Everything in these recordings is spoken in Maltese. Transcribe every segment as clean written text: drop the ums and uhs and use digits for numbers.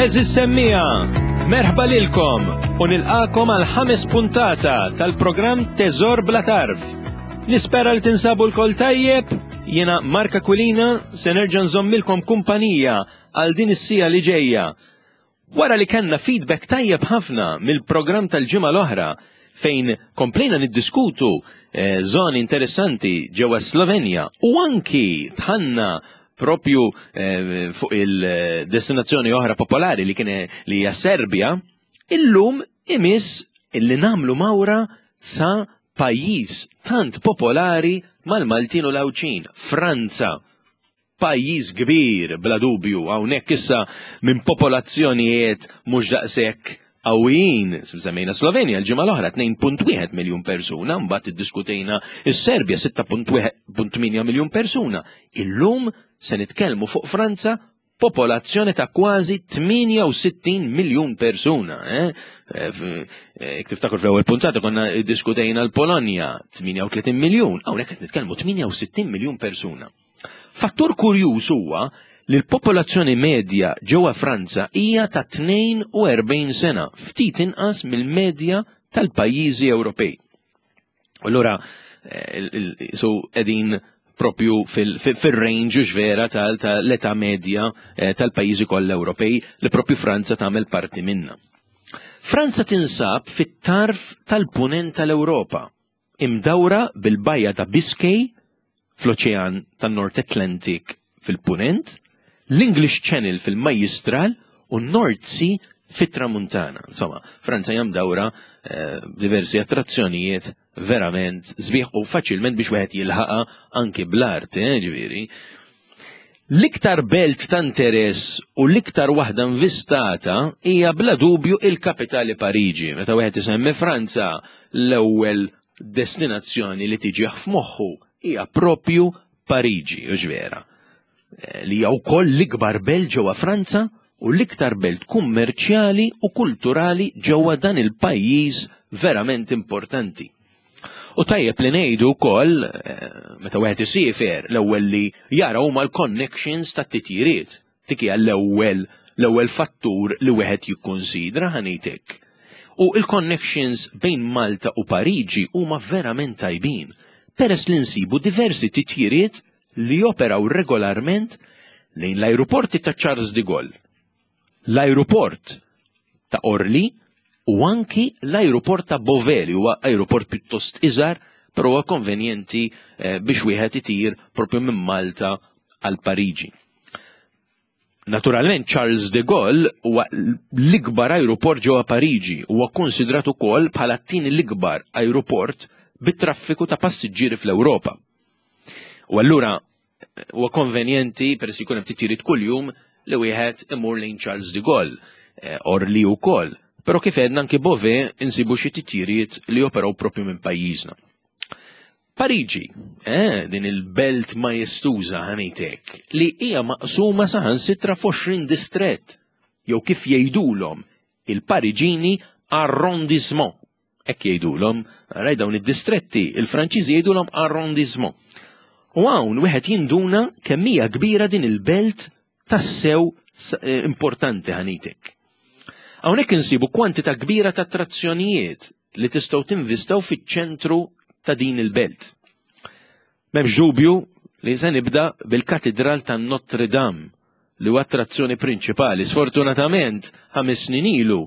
Eżis semmija, merħba lilkom u nilqakom għal ħames puntata tal-programm Teżor Bla Tarf. Nispera li tinsabu l-kol tajjeb, jiena Marka Kwilina se nerġa' nżommilkom kumpanija għal din is-sija li ġejja. Wara li kellna feedback tajjeb ħafna mill-programm tal-ġimgħa l-oħra fejn komplejna niddiskutu eh, zoni interessanti ġewwa Slovenja u anki tħanna propju eh, fuq il-destinazzjoni oħra popolari li kien li hija Serbja, illum imiss illi namlu mawra sa pajjiż tant popolari mal-Maltin u l-Għawdxin, Franza. Pajjiż kbir bla dubju, hawnhekk issa minn popolazzjonijiet mhux daqshekk qawwijin. Semmejna Slovenja l-ġimgħa l-oħra 2.1 miljun persuna, mbagħad iddiskutejna s-Serbja 6.8 miljun persuna. Illum se nitkellmu fuq Franza popolazzjoni ta' kważi 68 miljun persuna. Eh? Eh, eh, tiftakru fl-ewwel puntata konna diskutejna l-Polonja 38 miljun, hawnhekk qed nitkellmu 68 miljun persuna. Fattur kurjuż huwa li l-popolazzjoni medja ġewwa Franza hija ta' 42 sena, ftit inqas mill-medja tal-pajjiżi Ewropej. Allura, eh, so qegħdin propju fil-range vera tal-età medja eh, tal-pajjiżi kollha Ewropej li propju Franza tagħmel parti minna. Franza tinsab fit-tarf tal-punent tal-Ewropa, imdawra bil-bajja ta' Biscay fl-Oċean tan-North Atlantic fil-Punent, l-English Channel fil-Majjistral u n-North Sea fit-Tramuntana. Insomma, Franza hija mdawra eh, diversi attrazzjonijiet verament sbieħ u faċilment biex wieħed jilħaqa anki bl-art, eh, ġifieri. L-iktar belt ta' interess u l-iktar waħda invistata hija bla dubju il-kapitali Pariġi. Meta wieħed isemmi Franza, l-ewwel destinazzjoni li tiġih f'moħħu hija propju Pariġi, u vera. Eh, li hija wkoll l-ikbar belt ġewwa Franza u l-iktar belt kummerċjali u kulturali ġewwa dan il-pajjiż verament importanti. U tajjeb li ngħidu wkoll eh, meta wieħed isiefer l-ewwel li jara huma l-connections tat-titjiriet. Dik hija l-ewwel l-ewwel fattur li wieħed jikkunsidra ħanejtek. U il-connections bejn Malta u Pariġi huma verament tajbin, peress li nsibu diversi titjiriet li joperaw regolarment lejn l-ajruporti ta' Charles de Gaulle, l-ajruport ta' Orly u anki l-ajruport ta' Beauvais li huwa ajruport pjuttost iżgħar però huwa konvenjenti eh, biex wieħed itir propju minn Malta għal Pariġi. Naturalment Charles de Gaulle huwa l-ikbar ajruport ġewwa Pariġi huwa konsidrat ukoll bħala t-tieni l-ikbar ajruport bit-traffiku ta' passiġġieri fl-Ewropa. U allura huwa konvenjenti peress jkun hemm titjiriet kuljum li wieħed imur lejn Charles de Gaulle, eh, Orly wkoll. Però kif għedna anki Beauvais insibu xi titjiriet li operaw propju minn pajjiżna. Pariġi, eh, din il-belt majestuża ħanejtek, li hija maqsuma saħansitra f'20 distrett, jew kif jgħidulhom il-Pariġini arrondissement. Hekk jgħidulhom, raj dawn id-distretti, il-Franċiżi jgħidulhom arrondissement. U hawn wieħed jinduna kemm hija kbira din il-belt tassew eh, importanti ħanitek. Hawnhekk insibu kwantità kbira ta' attrazzjonijiet li tistgħu tinvistaw fiċ-ċentru ta' din il-belt. M'hemmx dubju li se nibda bil-Katidral ta' Notre Dame li huwa attrazzjoni prinċipali. Sfortunatament, ħames snin ilu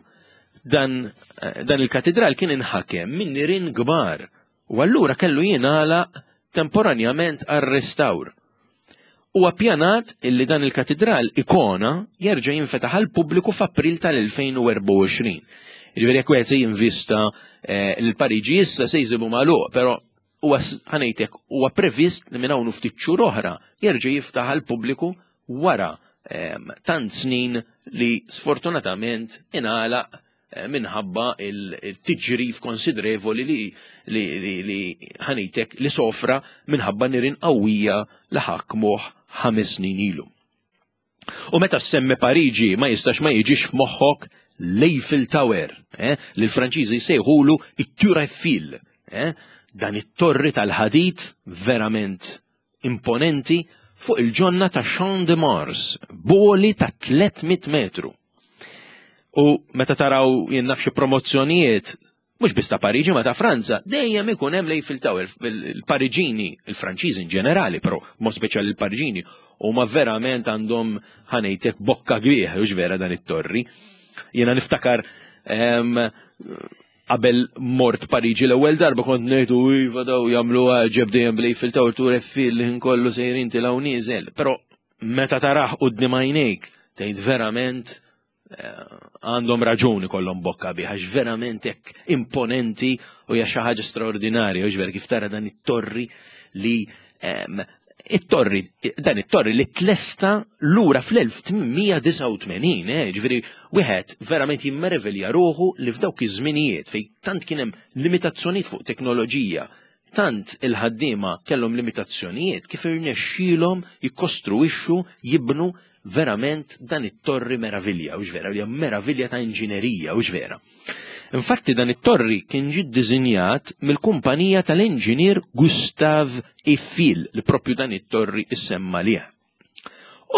dan, eh, dan il-katidral kien inħakem minn nirien kbar u allura kellu jingħalaq temporanjament għar-restawr. Huwa ppjanat illi dan il-katidral ikona jerġa' jinfetaħ għall-pubbliku f'April tal-2024. Jiġifieri jekk wieħed se jinvista eh, l-Pariġi issa se jsibu magħluq, però huwa ħanejtek huwa previst li minn hawn ftit xhur oħra jerġa' jiftaħ għall-pubbliku wara ehm, tant snin li sfortunatament ingħalaq Eh, minħabba il-tiġrif konsidrevoli li li li ħanitek li sofra minħabba nirin qawwija li ħakmuh ħames snin ilu. U meta semmi Pariġi ma jistax ma jiġix f'moħħok l-Eiffel Tower, eh, li l-Franċiżi jsejħulu it-Tour Eiffel, eh, dan it-torri tal-ħadid verament imponenti fuq il-ġonna ta' Champ de Mars, boli ta' 300 metru. U meta taraw jien naf xi promozzjonijiet mhux biss ta' Pariġi ma ta' Franza, dejjem ikun hemm l-Eiffel Tower, il-Pariġini, il-Franċiżi in ġenerali, però mod speċjali il-Pariġini, huma verament għandhom ħanejtek bokka kbieħ, hux vera dan it-torri. Jiena niftakar qabel mort Pariġi l-ewwel darba kont ngħidu iva daw jagħmlu għaġeb dejjem bl-Eiffel Tower tur Eiffel li kollu sejrin tilgħu nieżel. Però meta tarah quddiem għajnejk tgħid verament għandhom raġun ikollhom bokka bih għax verament hekk imponenti u hija xi ħaġa straordinarja u vera kif tara dan it-torri li it-torri dan it-torri li tlesta lura fl-1889, eh, ġifieri wieħed verament jimmervelja ruħu li f'dawk iż-żminijiet fejn tant kien hemm limitazzjonijiet fuq teknoloġija, tant il-ħaddiema kellhom limitazzjonijiet kif irnexxielhom jikkostruixxu jibnu verament dan it-torri meravilja, hux vera, hija meravilja ta' inġinerija, hux vera. Infatti dan it-torri kien ġie ddisinjat mill-kumpanija tal-inġinier Gustav Eiffel li propju dan it-torri issemma lih.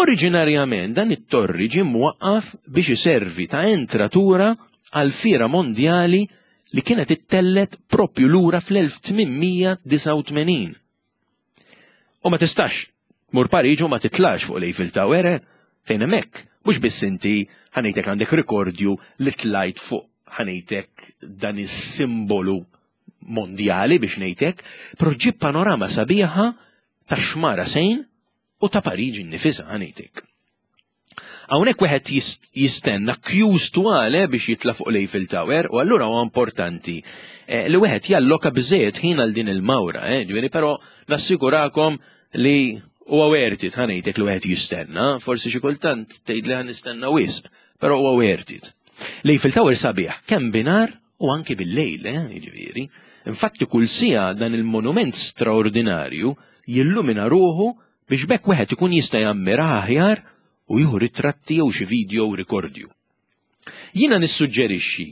Oriġinarjament dan it-torri ġie mwaqqaf biex iservi ta' entratura għal fiera mondjali li kienet ittellet propju lura fl-1889. U ma tistax tmur Pariġi u ma titlax fuq l-Eiffel Tower, eh? Fejn hemmhekk, mhux biss inti ħanejtek għandek rikordju li tlajt fuq ħanejtek dan is-simbolu mondjali biex ngħidlek, però ġib panorama sabiħa ta' xmara Sejn u ta' Pariġi nnifisha ħanejtek. Hawnhekk wieħed jistenna queues twal eh, biex jitla' fuq l-Eiffel Tower u allura huwa importanti eh, li wieħed jalloka biżejjed ħin għal din il-mawra, eh, ġifieri però nassigurakom li huwa worth it ħanejtek li wieħed jistenna, forsi xi kultant tgħid li nistenna wisq, però huwa worth it. L-Eiffel Tower sabiħ kemm binar u anki bil-lejl, eh, jiġifieri. Infatti kull siegħa dan il-monument straordinarju jillumina ruħu biex b'hekk wieħed ikun jista' jammiraha aħjar u jieħu ritratti jew xi video rikordju. Jiena nissuġġerixxi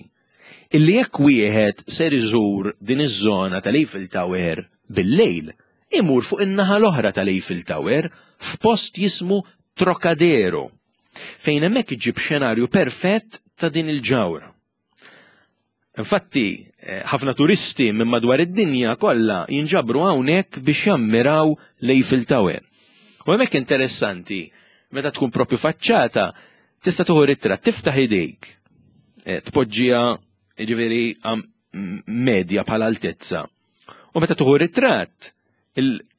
illi jekk wieħed ser iżur din iż-żona tal-Eiffel Tower bil-lejl, imur fuq in-naħa l-oħra tal-Eiffel Tower f'post jismu Trocadero, fejn hemmhekk iġġib xenarju perfett ta' din il-ġawra. Infatti, eh, ħafna turisti minn madwar id-dinja kollha jinġabru hawnhekk biex jammiraw l-Eiffel Tower. U hemmhekk interessanti, meta tkun propju faċċata, tista' tuħu ritratt, tiftaħ idejk, eh, tpoġġiha jiġifieri medja bħala altezza. U meta tuħu ritratt,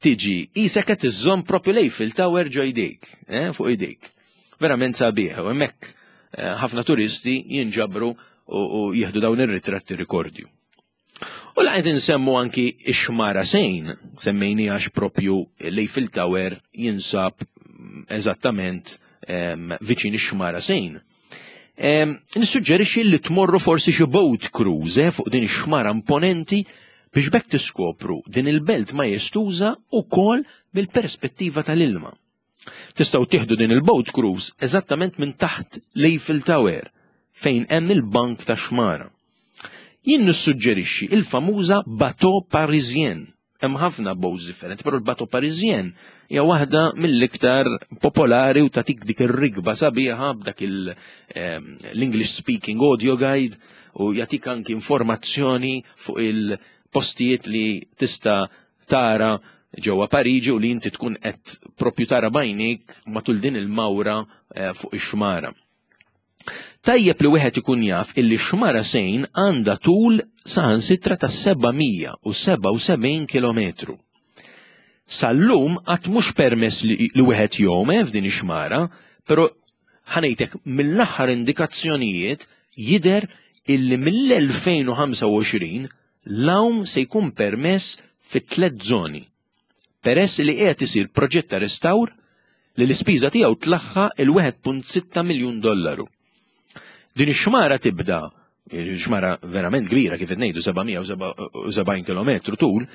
tiġi isek qed iżżomm propju l-Eiffel Tower ġo jdejk, eh, fuq idejk. Verament sabiħ, u hemmhekk eh, ħafna turisti jinġabru u jieħdu dawn ir-ritratti rikordju. U laqgħet insemmu anki ix-xmara sejn, semmejni għax propju l-Eiffel Tower jinsab eżattament viċin ix-xmara sejn. Nissuġġerixxi li tmorru forsi xi boat cruise eh, fuq din ix-xmara imponenti biex bekk tiskopru din il-belt majestuża ukoll mill-perspettiva tal-ilma. Tistgħu tieħdu din il-boat cruise eżattament minn taħt l-Eiffel Tower fejn hemm il-bank ta' xmara. Jien nissuġġerixxi il-famuża Bateau Parisien Hemm ħafna boats differenti, però l-Bateau Parisien hija waħda mill-iktar popolari u tagħtik dik ir-rigba sabiħa b'dak ehm, l-English speaking audio guide u jagħtik anki informazzjoni fuq il-postijiet li tista' tara ġewwa Pariġi u li inti tkun qed propju tara bajnik matul din il-mawra eh, fuq ix-xmara. Tajjeb li wieħed ikun jaf illi xmara Sejn għandha tul saħansitra ta' 777 kilometru. Sal-lum qatt mhux permess li, li wieħed jgħum eh, f'din ix-xmara, però ħanejtek mill-aħħar indikazzjonijiet jidher illi mill-2025 l-għawm se jkun permess fi tliet żoni. peress li qiegħed isir proġett ta' restawr li l-ispiża tiegħu tlaħħaq il-1.6 miljun dollaru. Din ix-xmara tibda xmara verament kbira kif qed ngħidu 777 km tul,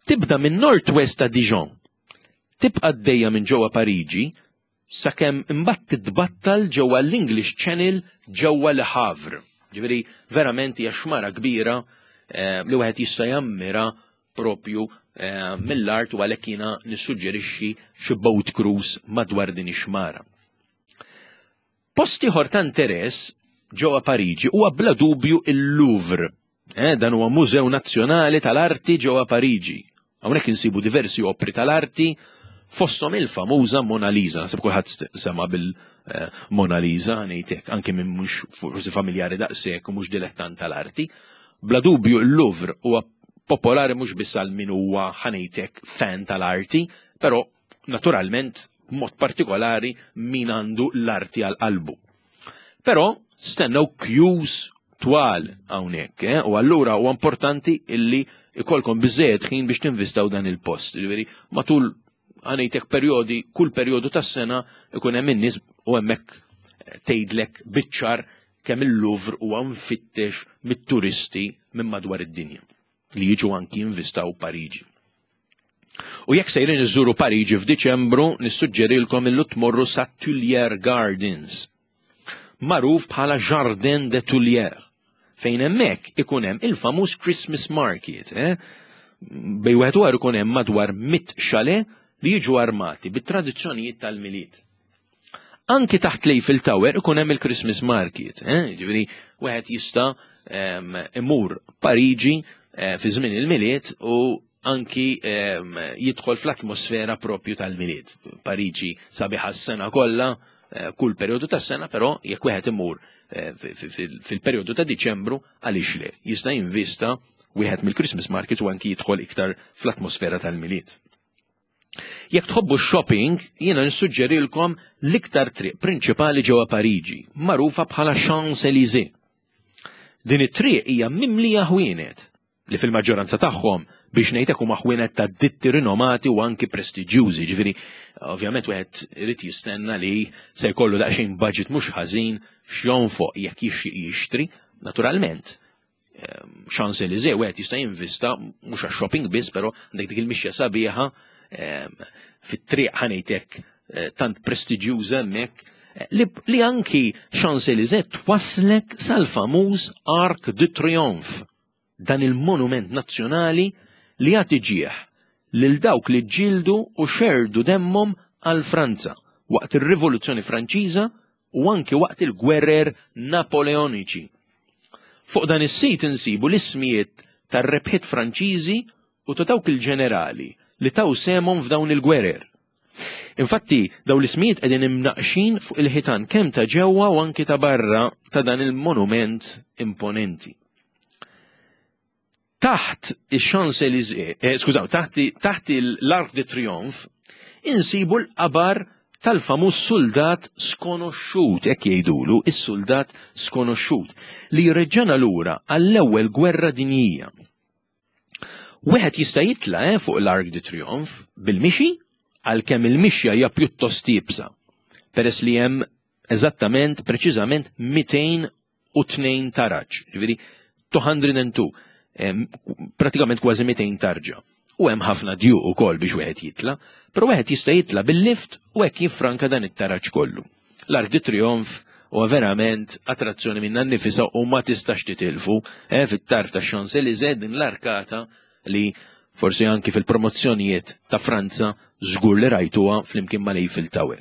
tibda minn North-West ta' Dijon, tibqa' għaddejja minn ġewwa Pariġi sakemm imbagħad titbattal ġewwa l-English Channel ġewwa Le Havre. Ġifieri verament hija xmara kbira eh, li wieħed jista' jammira propju eh, mill-art u għalhekk jiena nissuġġerixxi xi boat cruise madwar din ix-xmara. Post ieħor ta' interess ġewwa Pariġi huwa bla dubju il-Louvre. Eh, dan huwa Mużew Nazzjonali tal-Arti ġewwa Pariġi. Hawnhekk insibu diversi opri tal-arti fosthom il-famuża Mona Lisa. Naħseb kulħadd sema bil-Mona eh, Lisa ngħidlek anke minn mhux forsi familjari daqshekk u mhux dilettant tal-arti. Bla dubju l-Louvre huwa popolari mhux biss għal min huwa ħanejtek fan tal-arti, però naturalment mod partikolari min għandu l-arti għal qalbu. Però stennew queues twal hawnhekk, eh? u allura huwa importanti illi ikolkom biżejjed ħin biex tinvistaw dan il-post. Ġifieri matul għanejtek perjodi, kull perjodu tas-sena ikun hemm in-nies u hemmhekk tgħidlek biċ-ċar kemm il-Louvre huwa mfittex mit-turisti minn madwar id-dinja li jiġu anki jinvistaw Pariġi. U jekk sejrin iżżuru Pariġi f'Diċembru, nissuġġerilkom illu tmorru sa Tuileries Gardens, magħruf bħala Jardin de Tuileries, fejn hemmhekk ikun hemm il-famuż Christmas Market. Eh? Bej wieħed u ikun hemm madwar mit xale li jiġu armati bit-tradizzjonijiet tal-Milied. Anki taħt l-Eiffel Tower ikun hemm il-Christmas Market, eh? Ġifieri wieħed jista' ehm, imur Pariġi eh, fi żmien il-Milied u anki ehm, jidħol fl-atmosfera propju tal-Milied. Pariġi sabiħa s-sena kollha, eh, kull perjodu tas-sena, però jekk wieħed imur fil-perjodu ta' Diċembru għaliex le, jista' jinvista wieħed mill-Christmas markets u anki jidħol iktar fl-atmosfera tal-Milied. Jekk tħobbu shopping, jiena nissuġġerilkom l-iktar triq prinċipali ġewwa Pariġi, magħrufa bħala Champs-Élysées. Din it-triq hija mimlija ħwienet li fil-maġġoranza tagħhom biex ngħidlek huma ħwienet ta' ditti rinomati u anki prestiġjużi, ġifieri ovvjament wieħed irid jistenna li se jkollu daqsxejn budget mhux ħażin x'jonfoq jekk jixtieq jixtri, naturalment Ehm, Champs-Élysées wieħed jista' jinvista mhux għax-shopping biss, però għandek dik il-mixja sabiħa ehm, fit-triq ħanejtek eh, tant prestiġjuża hemmhekk eh, li anki Champs-Élysées twaslek sal-famuż Arc de Triomphe, dan il-monument nazzjonali li jagħti ġieħ lil dawk li ġġieldu u xerdu demmhom għal Franza waqt ir-Rivoluzzjoni Franċiża u anki waqt il-gwerer Napoleoniċi. Fuq dan is-sit insibu l-ismijiet tar-rebħiet Franċiżi u ta' dawk il-ġenerali li taw sehemhom f'dawn il-gwerer. Infatti, dawn l-ismijiet qegħdin imnaqqxin fuq il-ħitan kemm ta' ġewwa u anki ta' barra ta' dan il-monument imponenti. Taħt ix-Champs-Élysées, eh, skużaw, taħt, taħt l-Arc de Triomphe, insibu l-qabar tal-famuż suldat skonoxxut, hekk jgħidulu, is-suldat skonoxxut, li jreġġana lura għall-ewwel gwerra dinjija. Wieħed jista' jitla' eh, fuq l-Arc de Triomphe bil-mixi għalkemm il-mixja hija pjuttost iebsa, peress li hemm eżattament preċiżament 202 taraġ, ġifieri 202, pratikament kważi 200 tarġa. U hemm ħafna djuq ukoll biex wieħed jitla, però wieħed jista' jitla bil-lift u hekk jiffranka dan it-taraġ kollu. L-Arc de Triomphe huwa verament attrazzjoni minna nnifisha u ma tistax titilfu eh, fit-tarf ta' Champs-Élysées din l-arkata li forsi anki fil-promozzjonijiet ta' Franza żgur li rajtuha flimkien mal-Eiffel Tower.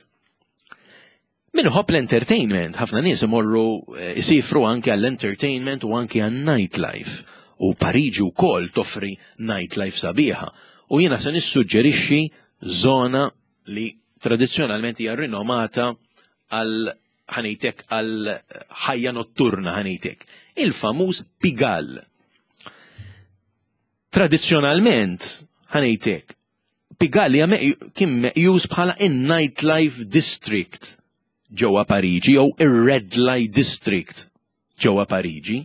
Min iħobb l-entertainment, ħafna nies imorru eh, isifru anke għall-entertainment u anke għan-nightlife. U Pariġi wkoll toffri nightlife sabiħa. U jiena se nissuġġerixxi żona li tradizzjonalment hija rinomata għal ħanejtek għal ħajja notturna ħanejtek. Il-famuż Pigalle. Tradizzjonalment ħanejtek Pigalle kien meqjus bħala in-nightlife district ġewwa Pariġi jew ir-Red Light District ġewwa Pariġi.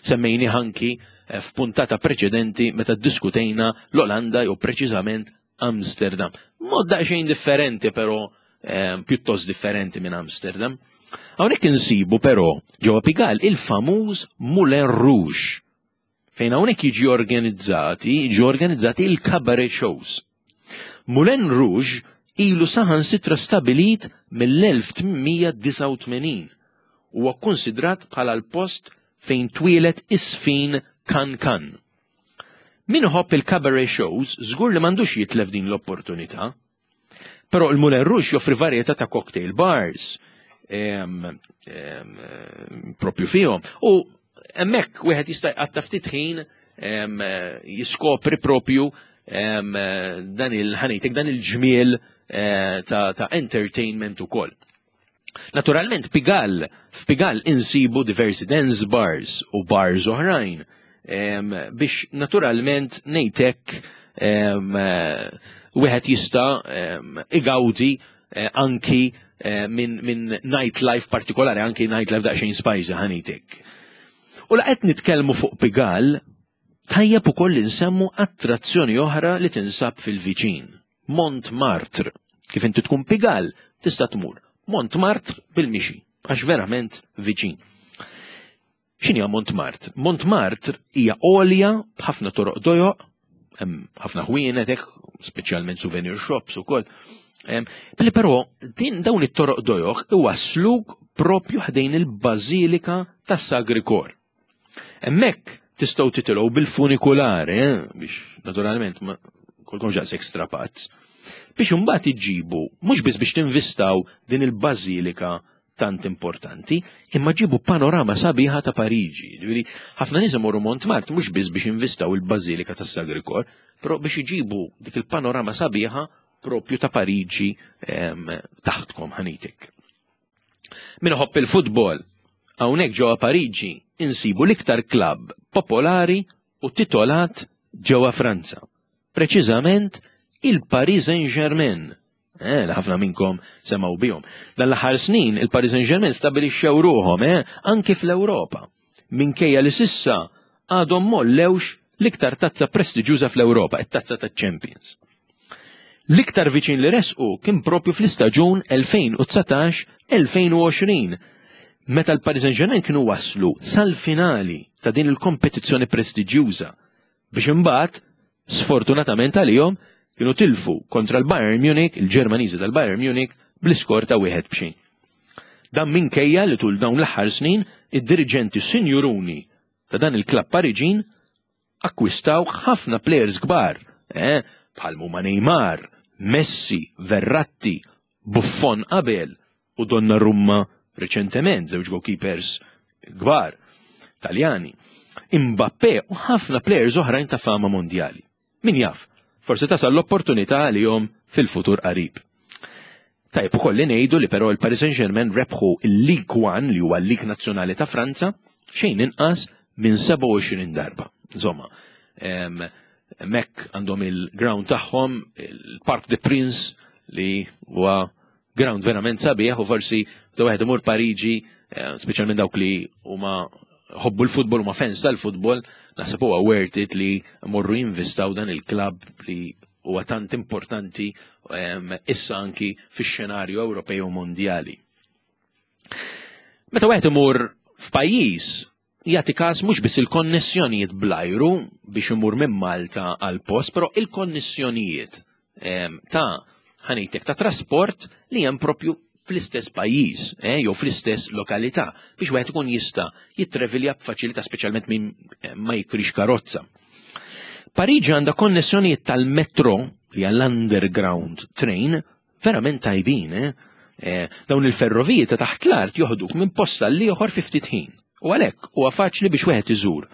Semmejni anki eh, f'puntata preċedenti meta ddiskutejna l-Olanda jew preċiżament Amsterdam. Mod daqsxejn differenti però eh, pjuttost differenti minn Amsterdam. Hawnhekk insibu però ġewwa Pigalle il-famuż Moulin Rouge fejn hawnhekk jiġi organizzati, jiġu organizzati il-cabaret shows. Moulin Rouge ilu saħansitra stabilit mill-1889 huwa kkunsidrat bħala l-post fejn twieled is-sfin Kan Kan. Min iħobb il-cabaret shows żgur li m'għandux jitlef din l-opportunità. Però il-Moulin Rouge joffri varjetà ta' cocktail bars. propju fihom. U hemmhekk wieħed jista' jqatta' ftit ħin jiskopri propju dan il-ħanitek, dan il-ġmiel eh, ta' entertainment ukoll. Naturalment, Pigal, f'Pigal insibu diversi dance bars u bars oħrajn biex naturalment nejtek wieħed jista' igawdi eh, anki eh, minn min nightlife partikolari, anki nightlife daqsxejn spicy ħanitek. U la qed nitkellmu fuq Pigal, tajjeb ukoll insemmu attrazzjoni oħra li tinsab fil-viċin. Montmartre. Kif inti tkun Pigal, tista' tmur Montmartre bil-mixi, għax verament viċin. X'inhi Montmartre? Montmartre hija għolja b'ħafna toroq dojoq, hemm ħafna ħwienet hekk, speċjalment souvenir shops ukoll. Billi però din dawn it-toroq dojoq iwassluk propju ħdejn il-Bażilika tas-Sagri Kor. Hemmhekk tistgħu titilgħu bil-funikulari, eh, biex naturalment ma kolkomx daqshekk strapazz, biex imbagħad iġibu mhux biss biex tinvistaw din il-bażilika tant importanti, imma ġibu panorama sabiħa ta' Pariġi. Ġifieri, ħafna nies imorru Montmartre mhux biss biex invistaw il-Bażilika tas-Sagri Kor, però biex iġibu dik il-panorama sabiħa propju ta' Pariġi taħtkom ħanitek. Min iħobb il-futbol, hawnhekk ġewwa Pariġi insibu l-iktar klabb popolari u titolat ġewwa Franza. Preċiżament il-Paris Saint-Germain. Eh, li ħafna minnkom semgħu bihom. Dan l-aħħar snin il-Paris Saint-Germain stabilixxew ruħhom eh, anki fl-Ewropa. Minkejja li sissa għadhom mollewx l-iktar tazza prestiġjuża fl-Ewropa, it-tazza taċ-Champions. L-iktar viċin li resqu kien propju fl-istaġun 2019-2020, meta l-Paris Saint-Germain kienu waslu sal-finali ta' din il-kompetizzjoni prestiġjuża biex imbagħad, sfortunatament għalihom, kienu tilfu kontra l-Bayern Munich, il-Ġermaniżi tal-Bayern Munich, bl-iskor ta' wieħed b'xejn. Dan minkejja li tul dawn l-aħħar snin id-diriġenti sinjuruni ta' dan il-klabb Pariġin akkwistaw ħafna plejers kbar, eh, bħal huma Neymar, Messi, Verratti, Buffon qabel u Donnarumma riċentement, żewġ goalkeepers kbar Taljani, Mbappé u ħafna plejers oħrajn ta' fama mondjali. Min jaf, forsi tasal l-opportunità għalihom fil-futur qarib. Tajb ukoll li ngħidu li però l-Paris Saint-Germain rebħu l-League One li huwa l-League Nazzjonali ta' Franza xejn inqas minn 27 darba. Insomma, mek għandhom il-ground tagħhom, il-Parc des Princes li huwa ground verament sabiħ u forsi ta' wieħed imur Pariġi, eh, speċjalment dawk li huma ħobbu l-futbol huma fans tal-futbol, naħseb huwa worth it li morru jinvistaw dan il-klabb li huwa tant importanti ehm, issa anki fix-xenarju Ewropej u mondjali. Meta wieħed imur f'pajjiż jagħti każ mhux biss il-konnessjonijiet bl-ajru biex imur minn Malta għal post, però il-konnessjonijiet ehm, ta' ħanejtek ta' trasport li hemm propju fl-istess pajjiż eh, jew fl-istess lokalità biex wieħed ikun jista' jitrevilja b'faċilità speċjalment min eh, ma jikrix karozza. Pariġi għandha konnessjonijiet tal-metro li hija l-underground train verament tajbin, eh? eh dawn il-ferroviji ta' taħt l-art joħduk minn post għal ieħor fi ftit ħin. U għalhekk huwa faċli biex wieħed iżur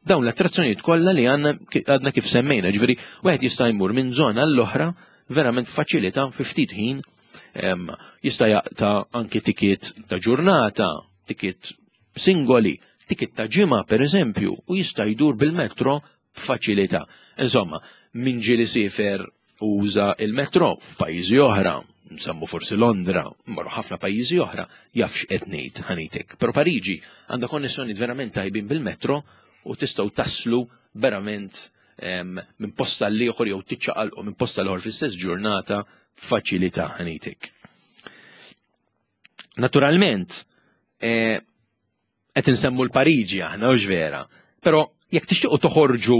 dawn l-attrazzjonijiet kollha li għandna għadna kif semmejna, ġifieri wieħed jista' jmur minn żona l-oħra verament faċilità fi ftit ħin jista' jaqta' anki tikiet ta' ġurnata, tikiet singoli, tikiet ta' ġimgħa pereżempju, u jista' jdur bil-metro b'faċilità. Insomma, min ġieli siefer uża il-metro f'pajjiżi oħra, nsemmu forsi Londra, marru ħafna pajjiżi oħra, jaf x'qed ngħid ħanitek. Però Pariġi għandha konnessjoni verament tajbin bil-metro u tistgħu taslu verament minn posta l ieħor jew tiċċaqalqu minn posta l-ieħor fl-istess ġurnata b'faċilità ħanitek. Naturalment, eh, qed insemmu l-Pariġi aħna hux vera, però jekk tixtiequ toħorġu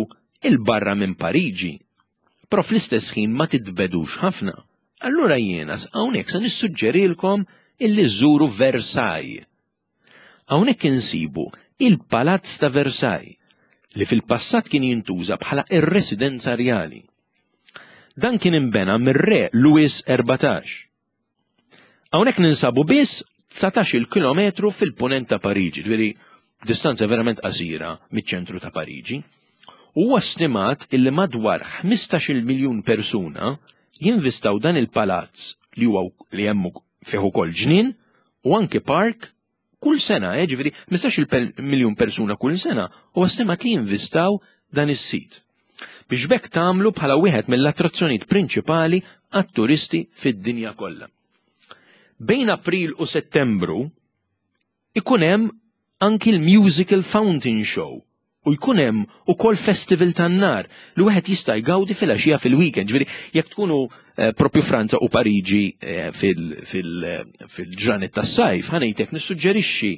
il barra minn Pariġi, però fl-istess ħin ma titbedux ħafna, allura jiena hawnhekk se nissuġġerilkom illi żżuru Versailles. Hawnhekk insibu il-Palazz ta' Versailles li fil-passat kien jintuża bħala ir-residenza rjali. Dan kien imbena mir-re Louis 14. Hawnhekk ninsabu biss 19-il kilometru fil-punent ta' Pariġi, ġifieri distanza verament qasira miċ-ċentru ta' Pariġi. Huwa stimat illi madwar 15-il miljun persuna jinvistaw dan il-palazz li huwa li hemm fih ukoll ġnien u anki park kull sena, eh, ġifieri 15-il miljun persuna kull sena huwa stimat li jinvistaw dan is-sit. Biex b'hekk tagħmlu bħala wieħed mill-attrazzjonijiet prinċipali għat-turisti fid-dinja kollha. Bejn April u Settembru ikun hemm anki l-Musical Fountain Show u jkun hemm ukoll festival tan-nar li wieħed jista' jgawdi filgħaxija fil-weekend. Ġifieri jekk tkunu eh, propju Franza u Pariġi eh, fil-ġranet tas-sajf, ħanejtek nissuġġerixxi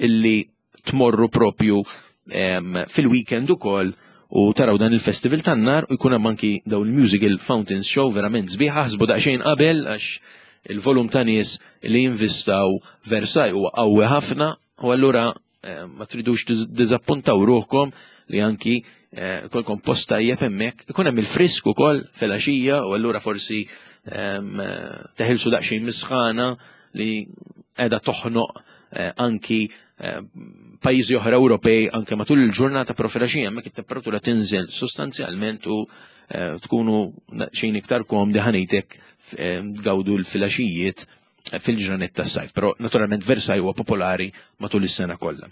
illi tmorru propju fil-weekend ukoll u taraw dan il-festival tan-nar u jkun hemm anki dawn il-musical fountains show verament sbieħ aħsbu daqsxejn qabel għax il-volum ta' nies li jinvistaw Versailles huwa qawwi ħafna u allura eh, ma tridux diżappuntaw ruħkom li anki eh, kolkom post tajjeb hemmhekk ikun hemm il-frisk ukoll filgħaxija u allura forsi eh, teħilsu daqsxejn misħana li qiegħda toħnoq anki pajjiżi oħra Ewropej anke matul il-ġurnata però filgħaxija hemmhekk it-temperatura tinżel sostanzjalment u eh, tkunu xejn iktar komdi ħanejtek eh, tgawdu l-filgħaxijiet eh, fil-ġranet tas-sajf. Però naturalment Versailles huwa popolari matul is-sena kollha.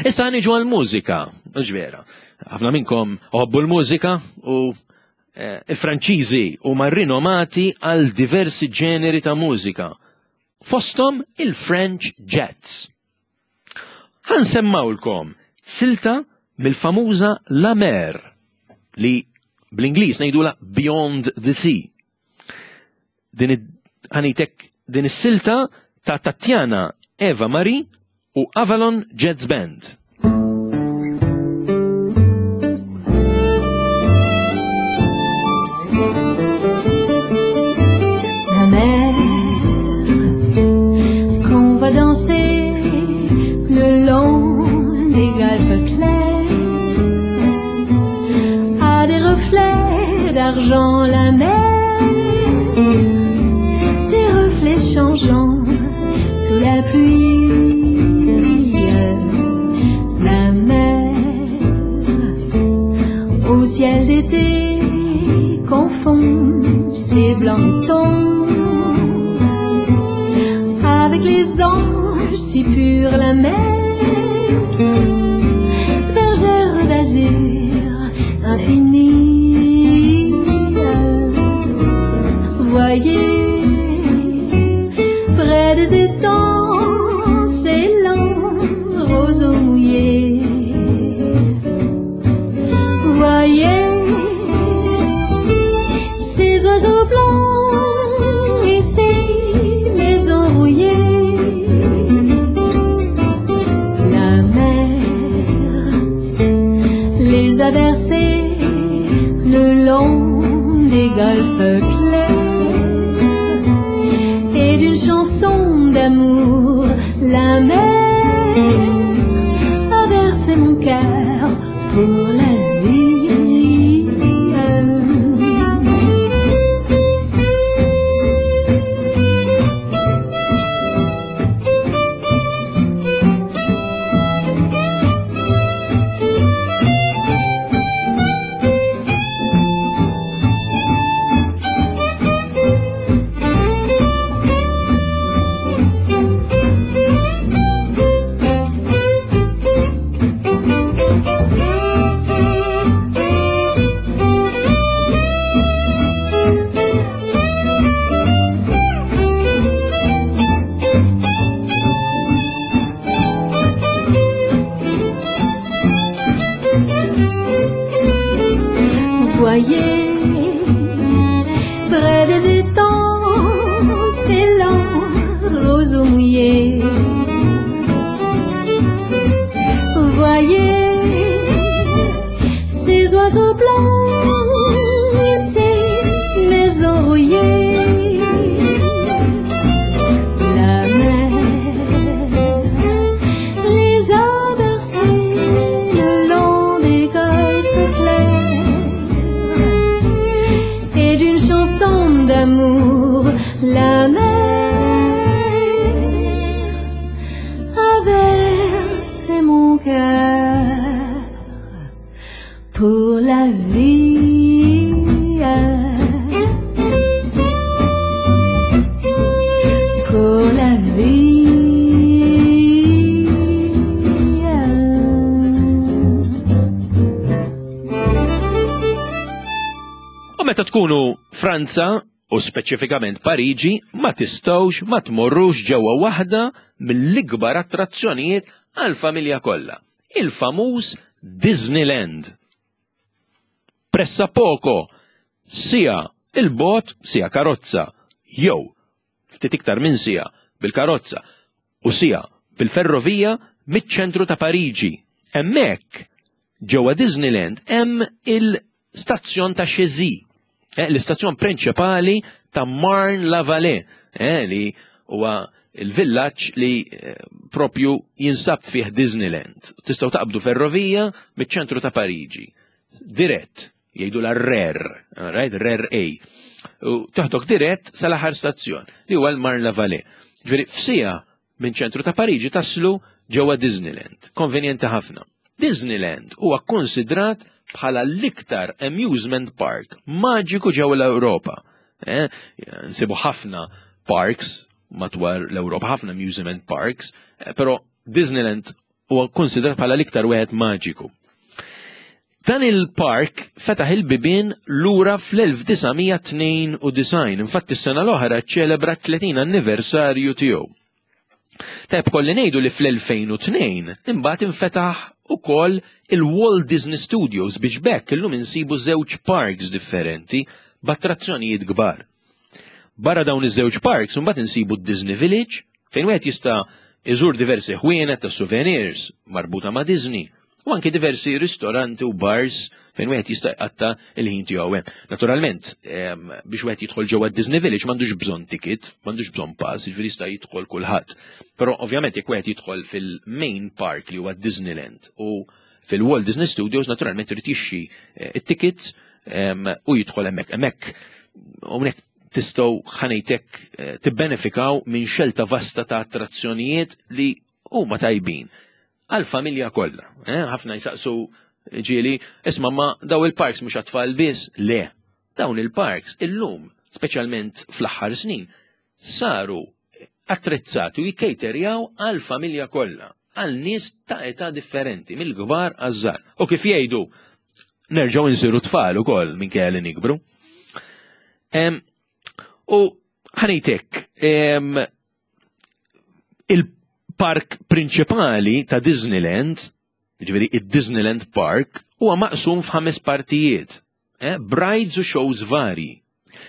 Issa niġu għal-mużika, ġvera. Ħafna minnkom oħobbu l-mużika u il-Franċiżi huma rinomati għal diversi ġeneri ta' mużika. Fosthom il-French Jets. Ħa nsemmawlkom silta mill-famuża La Mer li bl-Ingliż ngħidula Beyond the Sea. Din ħanitek din is-silta ta' Tatjana Eva Marie u Avalon Jazz Band. La mer qu'on va danser le long des golfes clairs a des reflets d'argent la mer des reflets changeants sous la pluie la mer au ciel d'été confond ses blancs tons avec les anges si purs la mer bergère d'azur infinie voyez près des étangs ces longs roseaux mouillés voyez ces oiseaux blancs et ces maisons rouillées la mer les a bercés le long des golfes clairs et d'une chanson d'amour la mer a bercé mon cœur pour la vie. Voyez près des étangs ces longs roseaux mouillés. Voyez ces oiseaux blancs et ces maisons rouillées. La mer les a bercés le long des golfes clairs et d'une chanson d'amour, la mer C'est mon cœur pour la vie. Pour la vie. U meta tkunu Franza, u speċifikament Pariġi, ma tistgħux ma tmorrux ġewwa waħda mill-ikbar attrazzjonijiet għall-familja kollha, il-famuż Disneyland. Pressapoko siegħa 'il bogħod, siegħa karozza, jew ftit iktar minn siegħa bil-karozza u siegħa bil-ferrovija miċ-ċentru ta' Pariġi. Hemmhekk, ġewwa Disneyland hemm il-stazzjon ta' Chezy, eh, l-istazzjon prinċipali ta' Marne-la-Vallée, eh, li huwa il-villaġġ li eh, propju jinsab fih Disneyland. Tistgħu taqbdu ferrovija miċ-ċentru ta' Pariġi. Dirett, jgħidu la RER, right? RER A. U toħdok dirett sal-aħħar stazzjon li huwa l-Marne-la-Vallée. Ġifieri f'sija minn ċentru ta' Pariġi taslu ġewwa Disneyland. Konvenjenti ħafna. Disneyland huwa konsidrat bħala l-iktar amusement park maġiku ġewwa l-Ewropa. Eh, nsibu ħafna parks madwar l-Ewropa, ħafna amusement parks, eh, però Disneyland huwa konsidrat bħala l-iktar wieħed maġiku. Dan il-park fetaħ il-bibien lura fl-1992, infatti s-sena l-oħra ċelebra 30 anniversarju tiegħu. Tajb kolli ngħidu li fl-2002 imbagħad infetaħ ukoll il-Walt Disney Studios biex bekk illum insibu żewġ parks differenti b'attrazzjonijiet kbar. Barra dawn iż-żewġ parks imbagħad insibu d-Disney Village fejn wieħed jista' iżur diversi ħwienet ta' souvenirs marbuta ma' Disney u anke diversi ristoranti u bars fejn wieħed jista' jqatta' il-ħin tiegħu hemm. Naturalment, biex wieħed jidħol ġewwa Disney Village m'għandux bżonn ticket, m'għandux bżonn pass, jiġifieri jista' jidħol kulħadd. Però ovvjament jekk wieħed jidħol fil-main park li huwa Disneyland u fil-Walt Disney Studios naturalment irid jixxi eh, it-tickets u jidħol hemmhekk. Hemmhekk hawnhekk tistgħu ħanejtek eh, tibbenefikaw minn xelta vasta ta' attrazzjonijiet li huma tajbin għal-familja kollha. Eh, ħafna jsaqsu ġieli, isma' ma daw il-parks mhux għat-tfal biss, le. Dawn il-parks illum, speċjalment fl-aħħar snin, saru attrezzati u jikkejterjaw għal-familja kollha, għal nies ta' età differenti, mill-kbar għaż-żgħar. U kif jgħidu, nerġgħu nsiru tfal ukoll minkejja li nikbru. U ħanejtek, il-park prinċipali ta' Disneyland, ġifieri id-Disneyland Park, huwa maqsum f'ħames partijiet. Eh, brides u shows varji.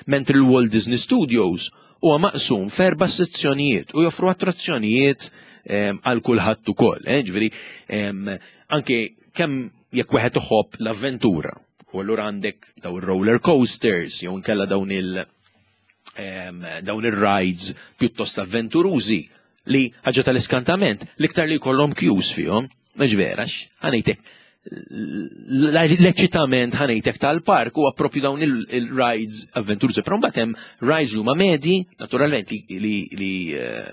Mentri l-Walt Disney Studios huwa maqsum f'erba' sezzjonijiet u joffru attrazzjonijiet ehm, għal kulħadd ukoll. Eh, ġifieri ehm, anke kemm jekk wieħed iħobb l-avventura, u allura għandek daw ir-roller coasters jew inkella dawn il- ehm, dawn ir-rides pjuttost avventurużi li ħaġa tal-iskantament l-iktar li jkollhom queues fihom, mhux vera, ħanejtek l-eċitament ħanejtek tal-park huwa propju dawn il-rides avventurużi, però mbagħad hemm rides li huma medji, naturalment li eh,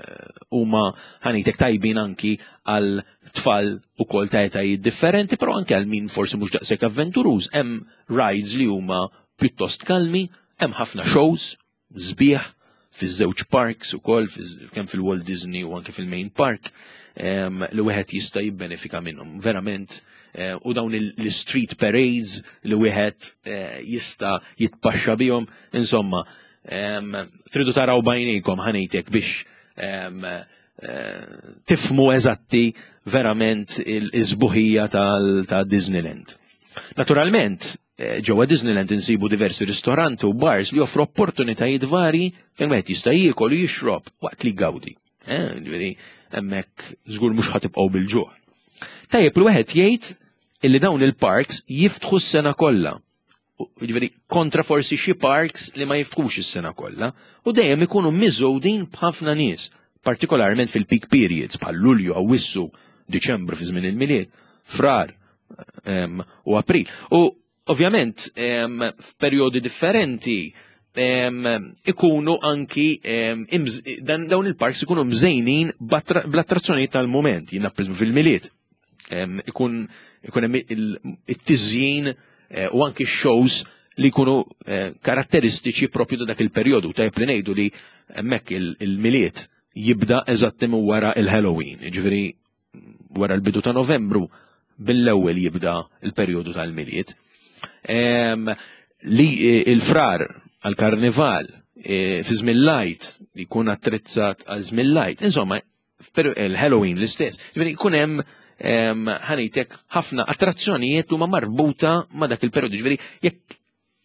huma ħanejtek tajbin anki għal tfal ukoll ta' etajiet differenti, però anke għal min forsi mhux daqshekk avventuruż, hemm rides li huma pjuttost kalmi, hemm ħafna shows sbieħ fiż-żewġ parks ukoll kemm fil-Walt Disney u anke fil-Main Park li wieħed jista' jibbenefika minnhom. Verament eh, u dawn l-street parades li wieħed eh, jista' jitpaxxa bihom, insomma, tridu taraw bajnejkom ħanejtek biex eh, tifmu eżatti verament il-żbuħija ta' Disneyland. Naturalment, Eh, ġewwa Disneyland insibu diversi ristoranti u bars li joffru opportunitajiet varji fejn wieħed jista' jiekol u jixrob waqt li jgawdi. Eh, ġifieri hemmhekk żgur mhux ħatibqgħu bil-ġuħ. Tajjeb li wieħed jgħid illi dawn il-parks jiftħu s-sena kollha. Ġifieri kontra forsi xi parks li ma jiftħux is-sena kollha u dejjem ikunu miżgħudin b'ħafna nies, partikolarment fil-peak periods bħal Lulju, Awwissu, Diċembru fi żmien il-Milied, Frar, u April. U ovvjament f'perjodi differenti ikunu anki dawn il-parks ikunu mżejnin bl-attrazzjonijiet tal-mument, jiena fil-Milied. Ikun ikun hemm it-tiżjin eh, u anki shows li jkunu eh, karatteristiċi propju ta' dak il-perjodu. Tajjeb li ngħidu li hemmhekk il-Milied jibda eżatt wara il-Halloween, ġifieri wara l-bidu ta' Novembru bil-ewwel jibda l-perjodu tal-Milied. Li eh, il-frar għal-karnival eh, fi żmien lajt li jkun attrezzat għal żmien lajt, insomma, il-Halloween l-istess. Ġifieri jkun hemm ħanejtek ħafna attrazzjonijiet huma marbuta ma' dak il-perjodu. Ġifieri jekk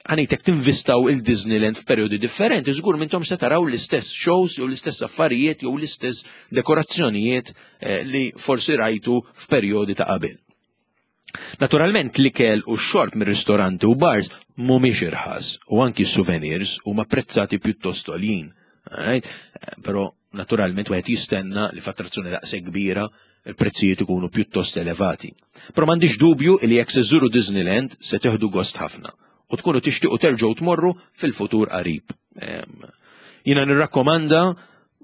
ħanejtek tinvistaw il-Disneyland f'perjodi differenti, żgur minnhom se taraw l-istess shows jew l-istess affarijiet jew l-istess dekorazzjonijiet eh, li forsi rajtu f'perjodi ta' qabel. Naturalment l-ikel u x-xorb mir-ristoranti u bars mhumiex irħas u anki souvenirs huma prezzati pjuttost għoljin. Eh, però naturalment wieħed jistenna li f'attrazzjoni daqshekk kbira il-prezzijiet ikunu pjuttost elevati. Però m'għandix dubju li jekk se żżuru Disneyland se teħdu gost ħafna u tkunu tixtiequ terġgħu tmorru fil-futur qarib. Jiena nirrakkomanda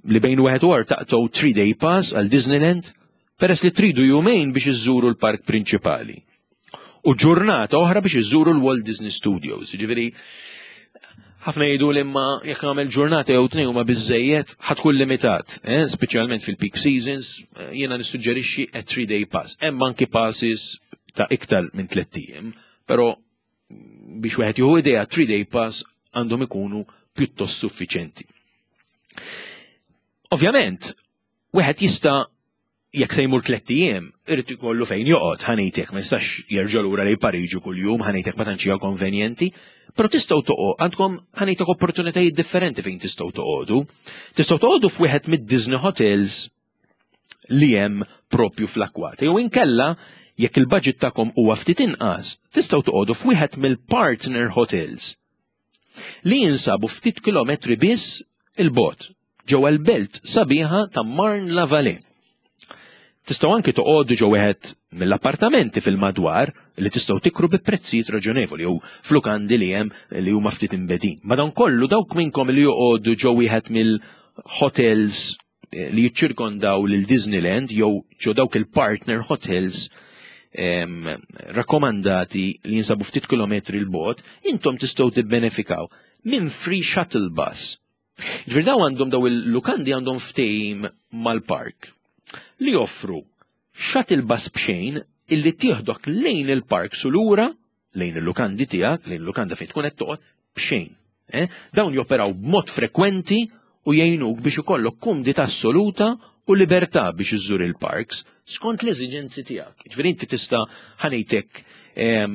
li bejn wieħed u taqtgħu 3-day pass għal Disneyland peress li tridu jumejn biex iżżuru l-park prinċipali. U ġurnata oħra biex iżżuru l-Walt Disney Studios. Ġifieri ħafna jgħidu li imma jekk nagħmel ġurnata jew tnejn huma biżejjed ħatkun limitat, eh? speċjalment fil-peak seasons, eh, jiena nissuġġerixxi a 3-day pass. Hemm anki passes ta' iktar minn tliet ijiem, però biex wieħed jieħu idea 3-day pass għandhom ikunu pjuttost suffiċenti. Ovvjament, wieħed jista' jekk se jmur tlett ijiem, irid ikollu fejn joqgħod, ħanejtek ma jistax jerġa' lura lejn Pariġi kuljum, ħanejtek ma tantx hija konvenjenti, però tistgħu toqgħod għandkom ħanejtek opportunitajiet differenti fejn tistgħu toqogħdu. Tistgħu toqogħdu f'wieħed mid-Disney Hotels li hemm propju fl-akwati. Jew inkella jekk il-budget tagħkom huwa ftit inqas, tistgħu toqogħdu f'wieħed mill-partner hotels li jinsabu ftit kilometri biss il-bot ġewwa l-belt sabiħa ta' Marne la Vallée. Tistgħu anki toqogħdu ġo wieħed mill-appartamenti fil-madwar li tistgħu tikru bi prezzijiet raġonevoli jew flukandi li hemm li huma ftit imbedin. Madankollu dawk minnkom li joqogħdu ġo wieħed mill-hotels eh, li jiċċirkondaw lil Disneyland jew ġo dawk il-partner hotels rakkomandati li jinsabu ftit kilometri l-bot, intom tistgħu tibbenefikaw minn free shuttle bus. Ġifieri daw għandhom daw il-lukandi għandhom ftehim mal-park li joffru shuttle bus b'xejn illi tieħdok lejn il-park sulura lejn il-lukandi tiegħek, lejn il-lukanda fejn tkun qed toqgħod b'xejn. Eh? Dawn joperaw b'mod frekwenti u jgħinuk biex ikollok kumdità assoluta u libertà biex iżżur il-parks skont l-eżiġenzi tiegħek. Ġifieri inti tista' ħanejtek eh,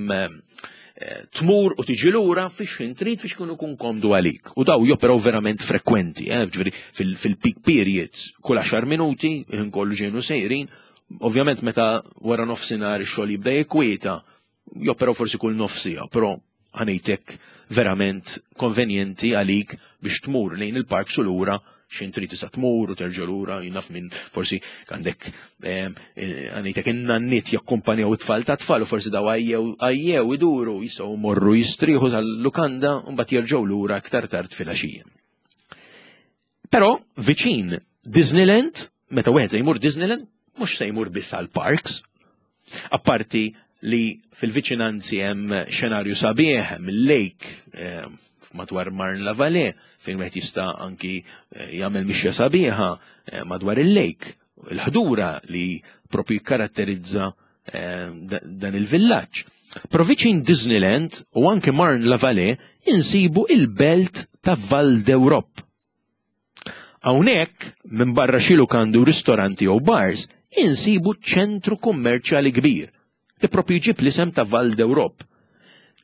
tmur u tiġi lura fiex ħin trid fiex kun ikun komdu għalik. U daw joperaw verament frekwenti, eh? ġifieri fil-peak periods kull 10 minuti, ħin kollu ġejnu sejrin, ovvjament meta wara nofsinhar ix-xogħol jibda jikwieta, joperaw forsi kull nofsija, però ħanejtek verament konvenjenti għalik biex tmur lejn il-park su lura xin trid tista' tmur u terġa' lura naf minn forsi għandek eh, għandek in-nanniet jakkumpanjaw it-tfal ta' tfal u forsi daw għajjew għajjew iduru jistgħu morru jistrieħu tal-lukanda u mbagħad jerġgħu lura aktar tard filgħaxija. Però viċin Disneyland, meta wieħed se jmur Disneyland, mhux se jmur biss għal parks. Apparti li fil-viċinanzi hemm xenarju sabiħ, hemm il-lake eh, madwar Marne la Vallée, fejn wieħed jista' anki eh, jagħmel mixja sabiħa eh, madwar il-lake, il-ħdura li propju jikkaratterizza dan il-villaġġ. Però viċin Disneyland u anke Marne la Vallée insibu il-belt ta' Val d'Europe. Hawnhekk, minbarra xi lukandi u ristoranti jew bars, insibu ċentru kummerċjali kbir li propju jġib l-isem ta' Val d'Europe.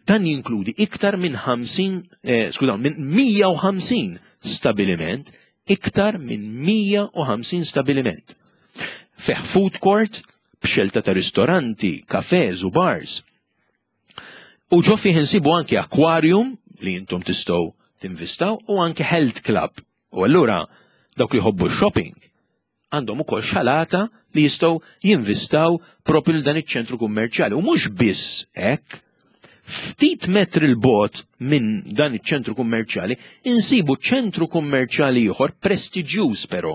Dan jinkludi iktar minn 50, eh, skużaw, minn 150 stabiliment, iktar minn 150 stabiliment. Fih food court, b'xelta ta' ristoranti, kafes u bars. U ġo fih insibu anki aquarium li intom tistgħu tinvistaw u anki health club. U allura dawk li jħobbu shopping għandhom ukoll xalata li jistgħu jinvistaw propju l dan iċ-ċentru kummerċjali. U mhux biss hekk, Ftit metri 'l bogħod minn dan iċ-ċentru kummerċjali insibu ċentru kummerċjali ieħor prestiġjuż però,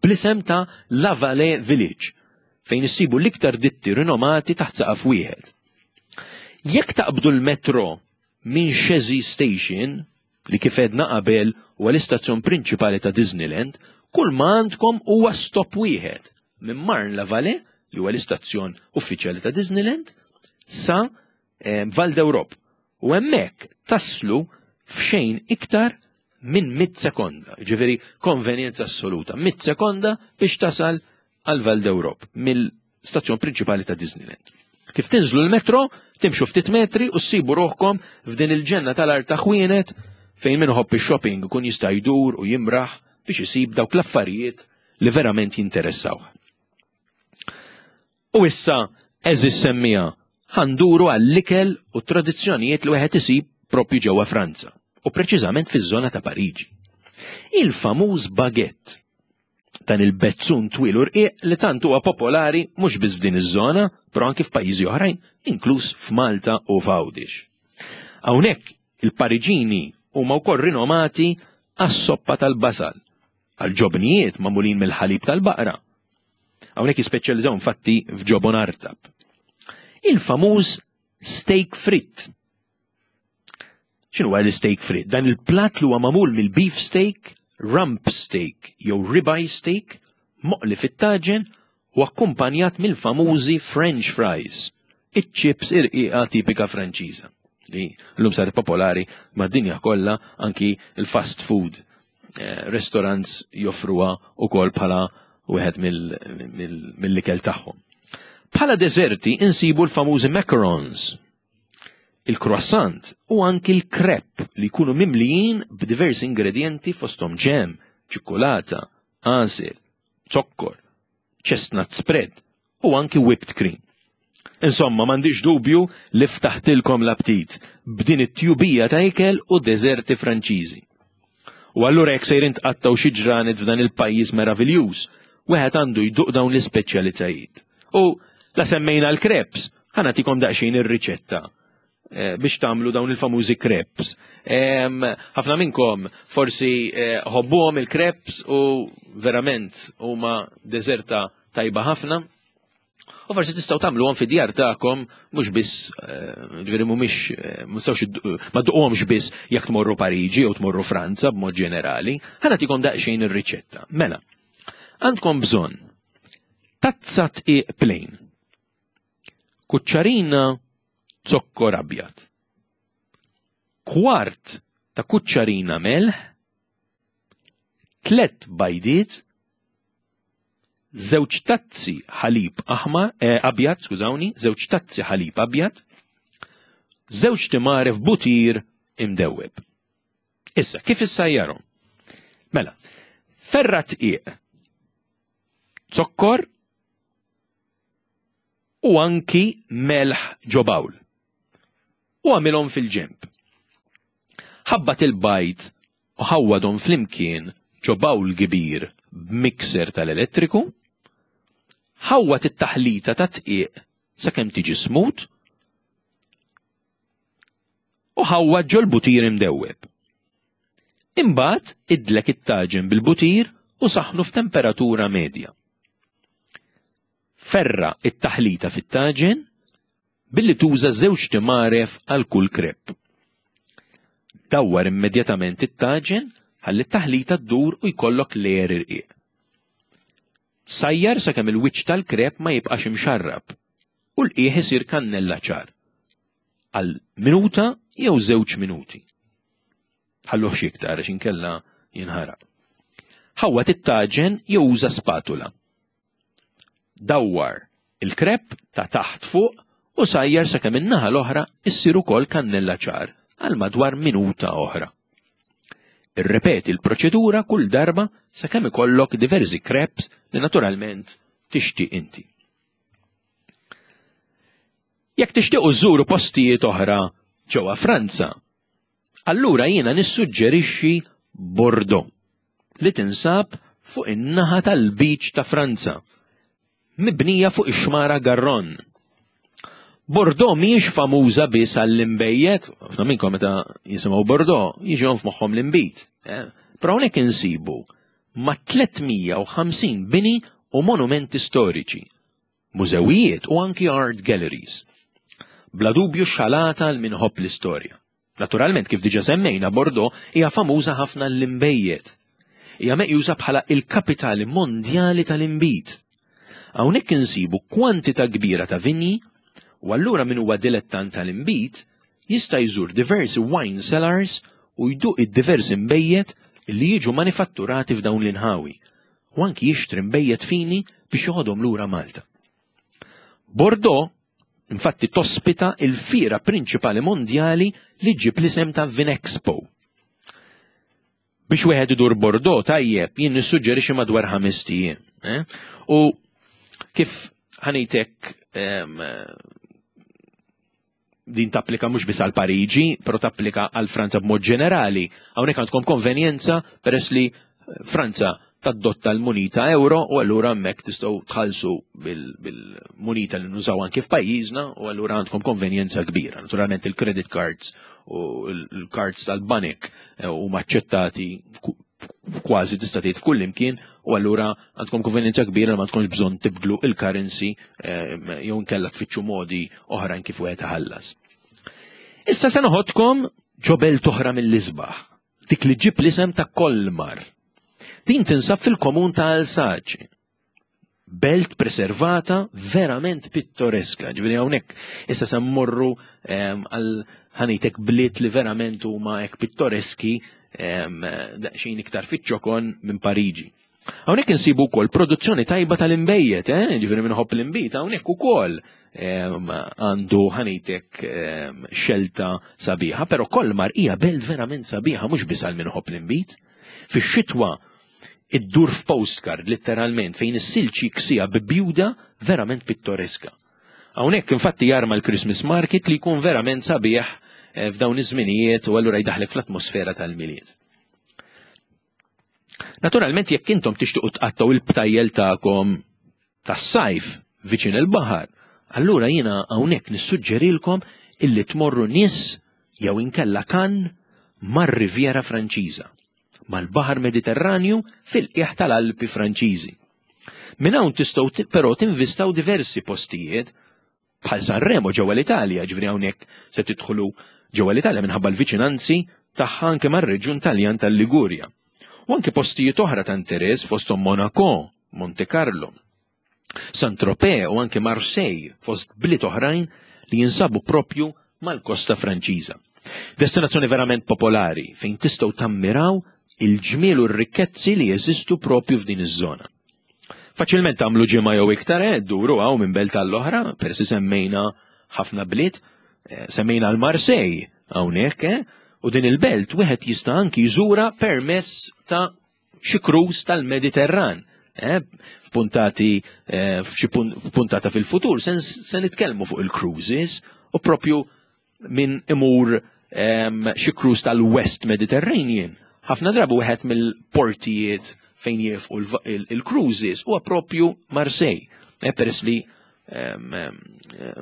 bl-isem ta' La Vallée Village, fejn issibu l-iktar ditti rinomati taħt saqaf wieħed. Jekk taqbdu l-metro minn Chessy Station, li kif għedna qabel huwa l-istazzjon prinċipali ta' Disneyland, kull ma għandkom huwa stop wieħed minn Marne-la-Vallée, li huwa l-istazzjon uffiċjali ta' Disneyland, sa eh, Val d'Europe. U hemmhekk taslu f'xejn iktar minn mit sekonda, ġifieri konvenjenza assoluta, mit sekonda biex tasal għal Val d'Europe mill-stazzjon prinċipali ta' Disneyland. Kif tinżlu l-metro, timxu ftit metri u ssibu ruħkom f'din il-ġenna tal-art ta' ħwienet fejn min iħobb ix-shopping ikun jista' jdur u jimraħ biex isib dawk l-affarijiet li verament jinteressawh. U issa, għeżież semmiegħa, ħa nduru għall-ikel u t-tradizzjonijiet li wieħed isib propju ġewwa Franza, u preċiżament fiż-żona ta' Pariġi. Il-famuż baguette, dan il-bezzun twil u rqiq li tant huwa popolari mhux biss f'din iż-żona, però anki f'pajjiżi oħrajn, inkluż f'Malta u f'Għawdex. Hawnhekk il-Pariġini huma wkoll rinomati għas-soppa tal-basal, għal ġobnijiet magħmulin mill-ħalib tal-baqra. Hawnhekk jispeċjalizzaw infatti f'ġobon artab. Il-famuż steak frit. X'inhu l-steak frit? Dan il-platt li huwa magħmul mill-beef steak, rump steak jew ribeye steak, moqli fit-taġen u akkumpanjat mill-famużi French fries, iċ-chips irqiqa tipika Franċiża li llum saret popolari mad-dinja kollha anki l-fast food eh, restaurants joffruha wkoll bħala wieħed mill-ikel tagħhom. Bħala deżerti insibu l-famużi macarons, il-croissant u anki l-crepe li jkunu mimlijin b'diversi ingredienti fosthom ġem, ċikkulata, għasel, zokkor, chestnut spread u anki whipped cream. Insomma, m'għandix dubju li ftaħtilkom l-aptit b'din it-tjubija ta' ikel u deżerti Franċiżi. U allura jekk sejrin tqattgħu xi ġranet f'dan il-pajjiż meraviljuż, wieħed għandu jduq dawn l-ispeċjalitajiet. U la semmejna l-crepes, ħa nagħtikom daqsxejn ir-riċetta eh, biex tagħmlu dawn il-famużi crepes. Ħafna minnkom forsi eh, ħobbuhom il-crepes u verament huma deżerta tajba ħafna. U forsi tistgħu tagħmluhom fid-djar tagħkom mhux biss eh, ġifieri mhumiex ma tistgħux ma dduqhomx biss jekk tmorru Pariġi jew tmorru Franza b'mod ġenerali. Ħa nagħtikom daqsxejn ir-riċetta. Mela, għandkom bżonn tazza tqiq plain, kuċċarina zokkor abjad, kwart ta' kuċċarina melħ, tlett bajdiet, żewġ tazzi ħalib aħmar, eh, abjad, skużawni, żewġ tazzi ħalib abjad, żewġ timaref butir imdewweb. Issa, kif issajjarhom? Mela, ferra tqiq, zokkor u anki melħ ġo bawl. U għamilhom fil-ġenb. Ħabbat il-bajd u ħawwadhom flimkien ġo bawl kbir b'mixer tal-elettriku. Ħawwad it-taħlita tat-dqiq sakemm tiġi smooth u ħawwad ġol-butir imdewweb. Imbagħad idlek it-taġen bil-butir u saħħnu f'temperatura medja. Ferra' t-taħlita fit-taġen billi tuża żewġt imgħaref għal kull krep. Dawwar immedjatament it-taġen ħalli t-taħlita ddur u jkollok layer irqiq. Sajjar sakemm il-wiċċ tal-krep ma jibqax imxarrab u l-qiegħ isir kannella ċar. Għal minuta jew żewġ minuti. Ħalluhx iktar għax inkella jinħaraq. Ħawwad it-taġen jew uża spatula. Dawwar il-krep ta' taħt fuq u sajjar sakemm in-naħa l-oħra issir ukoll kannella ċar għal madwar minuta oħra. Irrepeti l-proċedura kull darba sakemm ikollok diversi kreps li naturalment tixtieq inti. Jekk tixtiequ żżuru postijiet oħra ġewwa Franza, Allura jiena nissuġġerixxi Bordeaux, li tinsab fuq in-naħa tal-Lbiċ ta' Franza, mibnija fuq ix-xmara Garonne. Bordeaux mhijiex famuża biss għall-inbejjed, ħafna minnkom meta jisimgħu Bordeaux jiġihom f'moħħhom l-inbid. Eh? Però hawnhekk insibu ma' 350 bini u monumenti storiċi, mużewijiet u anki art galleries. Bla dubju xalata għal min iħobb l-istorja. Naturalment, kif diġa semmejna, Bordeaux hija famuża ħafna l-inbejjed. Hija meqjusa bħala il-kapitali mondjali tal-inbid. Hawnhekk insibu kwantità kbira ta' vinji u allura min huwa dilettant tal-inbid jista' jżur diversi wine cellars u jduq id-diversi nbejjed li jiġu manifatturati f'dawn l-inħawi u anki jixtri nbejjed fini biex joħodhom lura Malta. Bordeaux infatti tospita il-fiera prinċipali mondjali li ġġib l-isem ta' Vinexpo. Biex wieħed idur Bordeaux tajjeb jien nissuġġerixxi madwar ħamest ijiem. Eh? U kif ħanejtek din tapplika mhux biss għal Pariġi, però tapplika għal Franza b'mod ġenerali. Hawnhekk għandkom konvenjenza peress li Franza tadotta l-munita euro u allura hemmhekk tistgħu tħallsu bil-munita li nużaw anki f'pajjiżna u allura għandkom konvenjenza kbira. Naturalment il-credit cards u l-cards tal-banek eh, huma aċċettati kważi tista' tgħid f'kull imkien u allura għandkom konvenjenza kbira ma tkunx bżonn tibdlu il-currency eh, jew inkella tfittxu modi oħrajn kif wieħed iħallas. Issa se noħodkom ġo belt oħra mill-isbaħ, dik li ġib l-isem ta' Kolmar. Din tinsab fil-komun ta' Alsace. Belt preservata verament pittoreska. Ġifieri hawnhekk issa se mmorru ehm, għal ħanitek bliet li verament huma hekk pittoreski ehm, daqsxejn iktar fiċ-ċokon minn Pariġi. Hawnhekk insibu wkoll produzzjoni tajba tal-inbejjed, eh? Ġifieri minħobb l-inbid hawnhekk ukoll ehm, għandu ħanitek ehm, xelta sabiħa, però Kolmar hija belt verament sabiħa mhux biss għal minħobb l-inbid. Fix-xitwa iddur f'postcard letteralment fejn is-silġ jiksija bibjuda verament pittoreska. Hawnhekk infatti jarma l-Christmas market li jkun verament sabiħ eh, f'dawn iż-żminijiet u allura jdaħlek fl-atmosfera tal-Milied. Naturalment jekk intom tixtiequ tqattgħu il-btajjel tagħkom tas-sajf viċin il-baħar, allura jiena hawnhekk nissuġġerilkom illi tmorru Nice jew inkella Cannes mar-Riviera Franċiża, mal-Baħar Mediterranju fil-qiegħ tal-Alpi Franċiżi. Minn hawn tistgħu però tinvistaw diversi postijiet bħal Sanremo ġewwa l-Italja, ġifieri hawnhekk se tidħlu ġewwa l-Italja minħabba l-viċinanzi tagħha anke mar-reġjun Taljan tal-Ligurja. U anke postijiet oħra ta' interess fosthom Monaco, Monte Carlo, Saint-Tropez u anke Marseille fost bliet oħrajn li jinsabu propju mal-kosta Franċiża. Destinazzjoni verament popolari fejn tistgħu tammiraw il-ġmiel u r-rikkezzi li jeżistu propju f'din iż-żona. Faċilment tagħmlu ġimgħa jew iktar eh, duru hawn minn belt għall-oħra, persi semmejna ħafna bliet, eh, semmejna l-Marsej hawnhekk, eh, u din il-belt wieħed jista' anki jżura permezz ta' xi cruise tal-Mediterran. Eh, f'puntati eh, f'puntata fil-futur se nitkellmu fuq il-cruises u propju min imur ehm, xi cruise tal-West Mediterranean. Ħafna drabi wieħed mill-portijiet fejn jifqu il-cruises huwa propju Marseille. Eh, peress li ehm, ehm,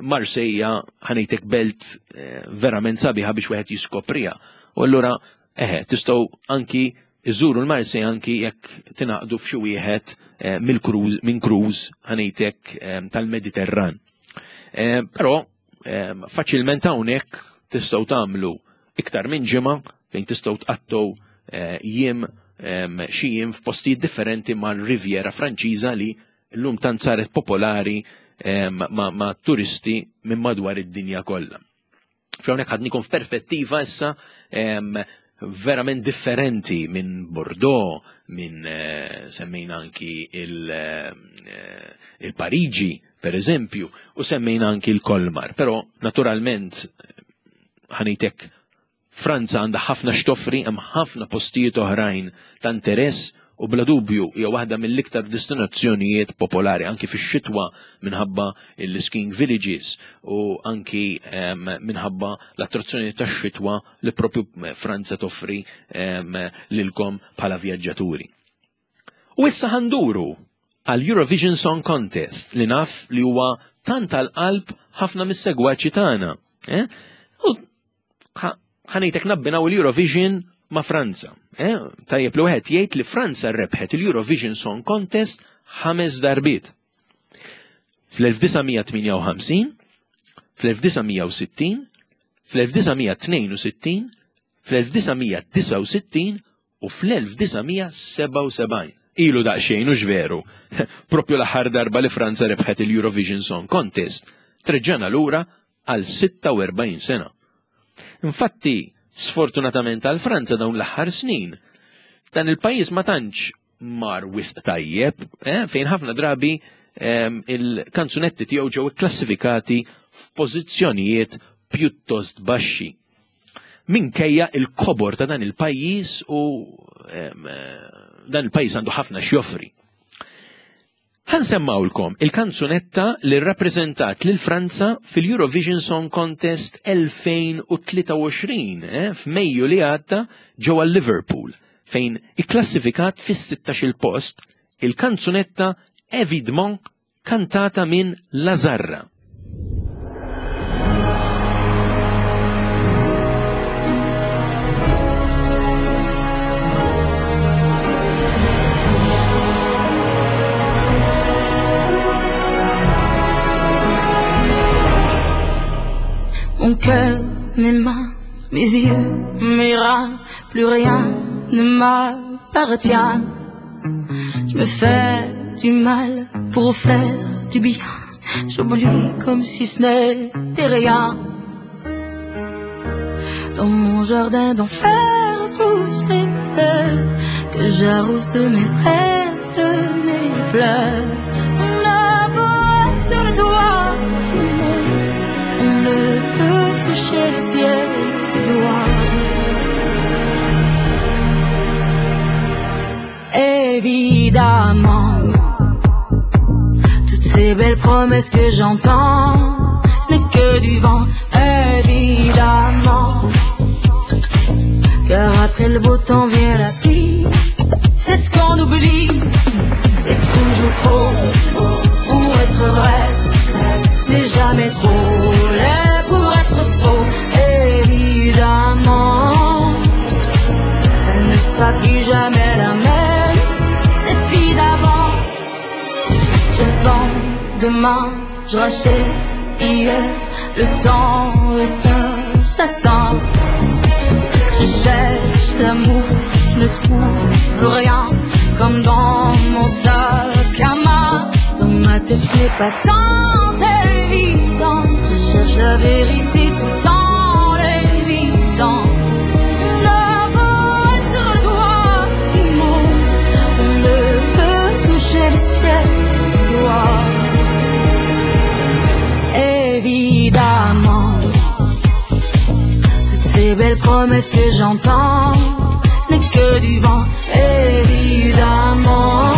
Marseille ħanejtek belt eh, verament sabiħa biex wieħed jiskoprija. U allura eħe, tistgħu anki iżuru l-Marseille anki jekk tingħaqdu f'xi wieħed eh, mill-cruise minn cruise ħanejtek tal-Mediterran. Però Faċilment hawnhekk tistgħu tagħmlu iktar minn ġimgħa fejn tistgħu tqattgħu eh, jiem xi jiem f'postijiet differenti mal-Riviera Franċiża li llum tant saret popolari ma' turisti minn madwar id-dinja kollha. F'hawnhekk ħadnikom f'perspettiva issa verament differenti minn Bordeaux, minn eh, semmejna anki eh, il-Pariġi, per eżempju, u semmejna anki l-Kolmar. Però, naturalment, ħanitek Franza għandha ħafna x'toffri, hemm ħafna postijiet oħrajn ta' interess u bla dubju hija waħda mill-iktar destinazzjonijiet popolari anki fix-xitwa minħabba l-skiing villages u anki ehm, minħabba l-attrazzjoni tax-xitwa li propju Franza toffri ehm, lilkom bħala vjaġġaturi. U issa ħanduru għal Eurovision Song Contest li naf li huwa tant għal-qalb ħafna mis-segwaċi tagħna. Eh? U ħanejtek nabbinaw l-Eurovision ma' Franza. Eh? Tajjeb li wieħed jgħid li Franza rebħet il-Eurovision Song Contest ħames darbiet. Fl-1958, fl-1960, fl-1962, fl-1969 u fl-1977. Ilu daqsxejn u veru. Propju l-aħħar darba li Franza rebħet il-Eurovision Song Contest, treġġana lura għal 46 sena. Infatti, sfortunatament għal Franza dawn l-aħħar snin, dan il-pajjiż ma tantx mar wisq tajjeb, eh, fejn ħafna drabi eh, il-kanzunetti tiegħu ġew ikklassifikati f'pożizzjonijiet pjuttost baxxi. Minkejja il-kobor ta' dan il-pajjiż u eh, dan il-pajjiż għandu ħafna x'joffri. Ħansemmawlkom il-kanzunetta li rrappreżentat lil Franza fil-Eurovision Song Contest 2023 eh, f'Mejju li għadda ġewwa Liverpool fejn ikklassifikat fis-16 il post il-kanzunetta Évidemment kantata minn Lazarra. Mon cœur, mes mains, mes yeux, mes reins, plus rien ne m'appartient. Je me fais du mal pour faire du bien. J'oublie comme si ce n'était rien. Dans mon jardin d'enfer poussent des fleurs que j'arrose de mes rêves, de mes pleurs. On a beau être sur le toit du monde, on ne peut toucher le ciel du doigt. Évidemment, toutes ces belles promesses que j'entends, ce n'est que du vent, évidemment. Car après le beau temps vient la pluie, c'est ce qu'on oublie, c'est toujours faux pour être vrai, c'est jamais trop laid pour être faux, évidemment. Elle ne sera plus jamais la même, cette fille d'avant. Je vends demain, je rachète hier, le temps est assassin. Je cherche l'amour, je ne trouve rien, comme dans mon sac à main. Dans ma tête, ce n'est pas tant évident. Je cherche la vérité tout en l'évitant. On a beau être sur le toit du monde, on ne peut toucher le ciel du doigt. Évidemment, toutes ces belles promesses que j'entends, ce n'est que du vent, évidemment.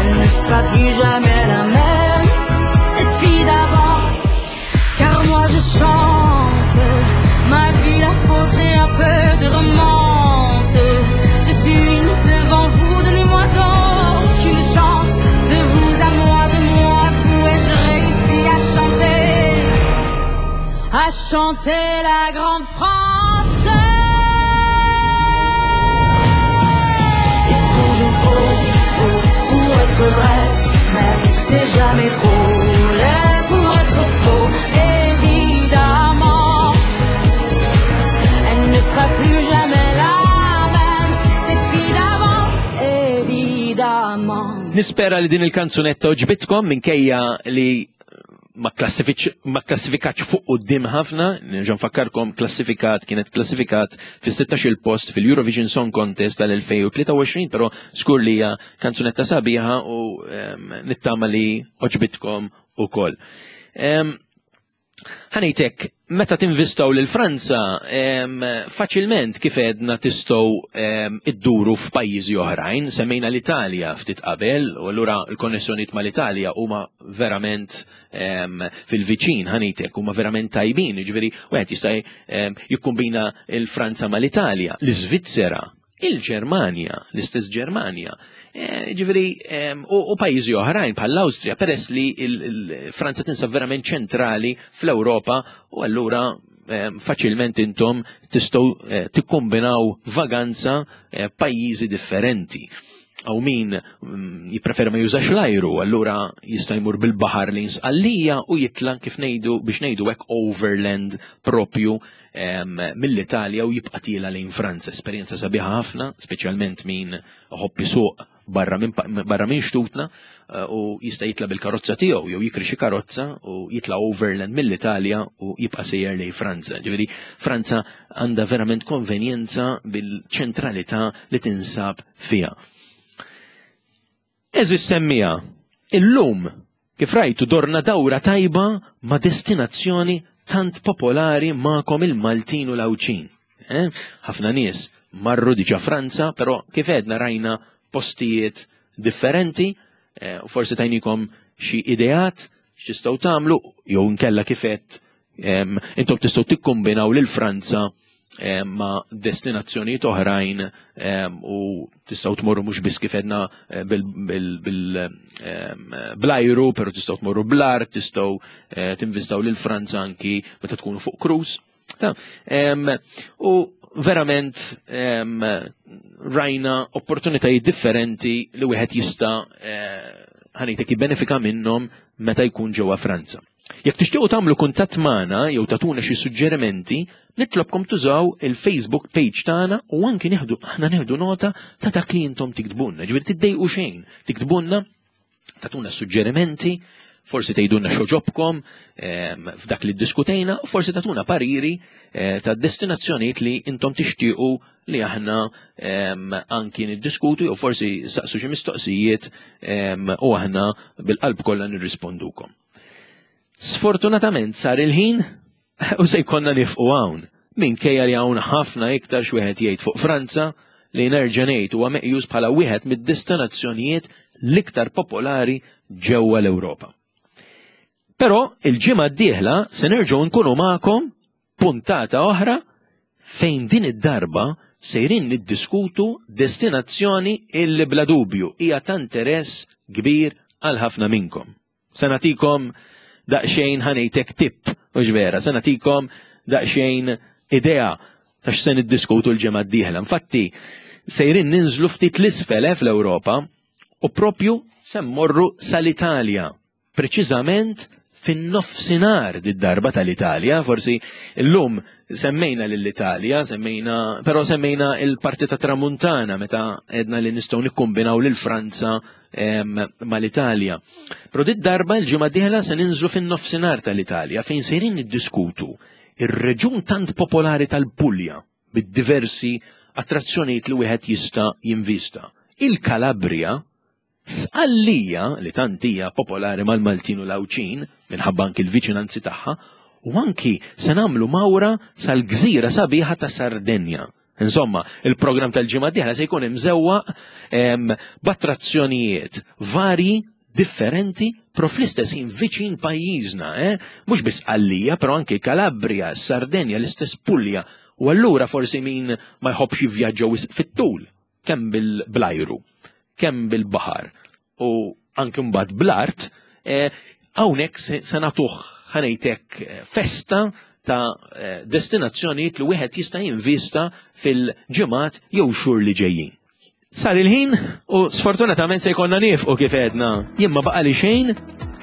Elle ne sera plus jamais la même, cette fille d'avant. Car moi je chante, ma vie la vôtre et un peu de romance. Je suis une devant vous, donnez-moi donc une chance. De vous à moi, de moi à vous, et je réussis à chanter, à chanter la grande France. C'est toujours faux pour être vrai, mais c'est jamais trop laid pour être faux, évidemment. Elle ne sera plus jamais la même, cette fille d'avant, évidemment. Nispera li din il-kanzunetta oġbitkom minkejja li ma klassifikatx fuq quddiem ħafna, nerġa' nfakkarkom klassifikat kienet klassifikat fis-16 il-post fil-Eurovision Song Contest tal-2023, però skur li hija kanzunetta sabiħa u nittama li oġbitkom ukoll. Ħanejtek, meta tinvistaw lil Franza, faċilment kif edna tistgħu idduru f'pajjiżi oħrajn, semmejna l-Italja ftit qabel, u allura l-konnessjonijiet mal-Italja huma verament fil-viċin, ħanejtek, huma verament tajbin, jiġifieri wieħed jista' jikkombina l-Franza mal-Italja, l-Iżvizzera, il-Ġermanja, l-istess Ġermanja. Eh, ġifieri, u pajjiżi oħrajn bħall-Awstrija, peress li Franza tinsab verament ċentrali fl-Ewropa u allura faċilment intom tistgħu eh, tikkombinaw vaganza eh, pajjiżi differenti. Għaw min mm, jippreferi ma jużax l-ajru, allura jista' jmur bil-baħar li Sqallija u jitla' kif ngħidu biex ngħidu hekk overland propju mill-Italja u jibqa' tiela lejn Franza. Esperjenza sabiħa ħafna, speċjalment min iħobb isuq barra minn barra minn xtutna eh, u jista' jitla' bil-karozza tiegħu jew jikri xi karozza u jitla' overland mill-Italja u jibqa' sejjer lejn Franza. Ġifieri Franza għandha verament konvenjenza bil-ċentralità li tinsab fiha. Eżis semmija, illum kif rajtu dorna dawra tajba ma' destinazzjoni tant popolari ma'kom il-Maltin u l-Għawdxin. Eh? Ħafna nies marru diġa Franza, però kif għedna rajna postijiet differenti, eh, u forsi tajnikom xi ideat x'tistgħu tagħmlu jew inkella kif għedt intom tistgħu tikkombinaw lil Franza ma' destinazzjonijiet oħrajn u tistgħu tmorru mhux biss kif għedna eh, bl-ajru, però tistgħu tmorru bl-art, tistgħu eh, tinvistaw lil Franza anki meta tkunu fuq cruise. U verament rajna opportunitajiet differenti li wieħed jista' eh, ħanejtek jibbenefika minnhom meta jkun ġewwa Franza. Jekk tixtiequ tagħmlu kuntatt magħna jew tagħtuna xi suġġerimenti, nitlobkom tużaw il-Facebook page tagħna u anki nieħdu aħna nieħdu nota ta' dak li intom tiktbunna. Ġifieri tiddejqu xejn, tiktbunna tagħtuna suġġerimenti, forsi tgħidulna x'għoġobkom ehm, f'dak li ddiskutejna u forsi tagħtuna pariri eh, ta' destinazzjonijiet li intom tixtiequ li aħna ehm, anki niddiskutu jew forsi saqsu xi mistoqsijiet ehm, u aħna bil-qalb kollha nirrispondukom. Sfortunatament sar il-ħin u se jkollna nifqu hawn. Minkejja li hawn ħafna iktar x'wieħed jgħid fuq Franza li nerġa' ngħid huwa meqjus bħala wieħed mid-destinazzjonijiet l-iktar popolari ġewwa l-Ewropa. Però il-ġimgħa d-dieħla se nerġgħu nkunu magħkom puntata oħra fejn din id-darba sejrin niddiskutu destinazzjoni illi bla dubju hija ta' interess kbir għal ħafna minnkom. Se nagħtikom daqsxejn ħanejtek tip, u vera, se nagħtikom daqsxejn idea ta' x'se niddiskutu l-ġimgħa d-dieħla. Infatti, sejrin ninżlu ftit l-isfel eh, fl-Ewropa u propju se mmorru sal-Italja preċiżament fin-nofsinhar did-darba tal-Italja, forsi llum semmejna lill-Italja, semmejna, però semmejna il-parti ta' Tramuntana meta edna li nistgħu nikkombinaw lil Franza mal-Italja. Però did-darba l-ġimgħa dieħla se ninżlu fin-nofsinhar tal-Italja fejn sejrin niddiskutu ir-reġun tant popolari tal-Pulja bid-diversi attrazzjonijiet li wieħed jista' jinvista. Il-Kalabria Sqallija, li tant hija popolari mal-Maltin u l-Għawdxin, minħabba anki l-viċinanzi tagħha, u anki se nagħmlu mawra sal-gżira sabiħa ta' Sardenja. Insomma, il-programm tal-ġimgħa d-dieħla se jkun imżewwaq b'attrazzjonijiet varji differenti pro fl-istess ħin viċin pajjiżna, eh? Mhux biss Sqallija, però anki Kalabria, Sardenja, l-istess Pulja. U allura forsi min ma jħobbx jivvjaġġa wisq fit-tul kemm bil-blajru, kemm bil-baħar u anki mbagħad bl-art, eh, hawnhekk se nagħtuh ħanejtek eh, festa ta' eh, destinazzjonijiet li wieħed jista' jinvista fil-ġimgħat jew xhur li ġejjin. Sar il-ħin u sfortunatament se jkollna nifqu kif għedna. Jien ma baqa' li xejn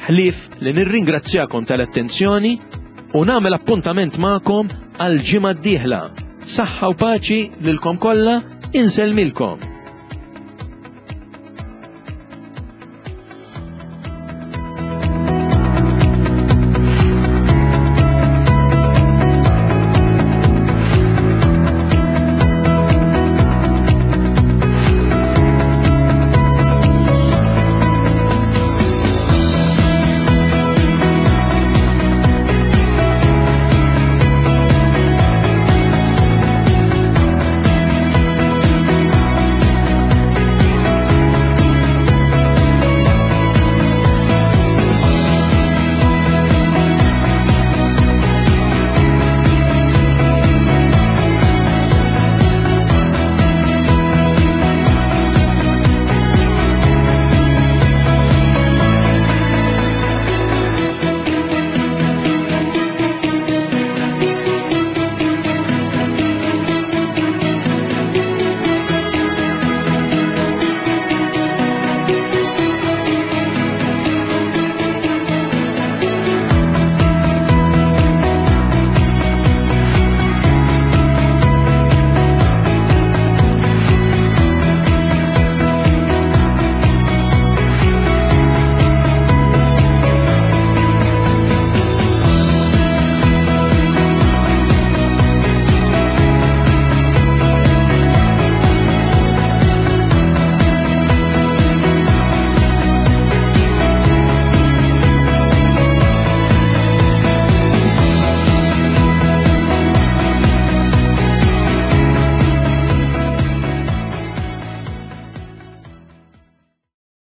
ħlief li nirringrazzjakom tal-attenzjoni u nagħmel appuntament magħkom għal ġimgħa d-dieħla. Saħħa u paċi lilkom kollha, insellmilkom.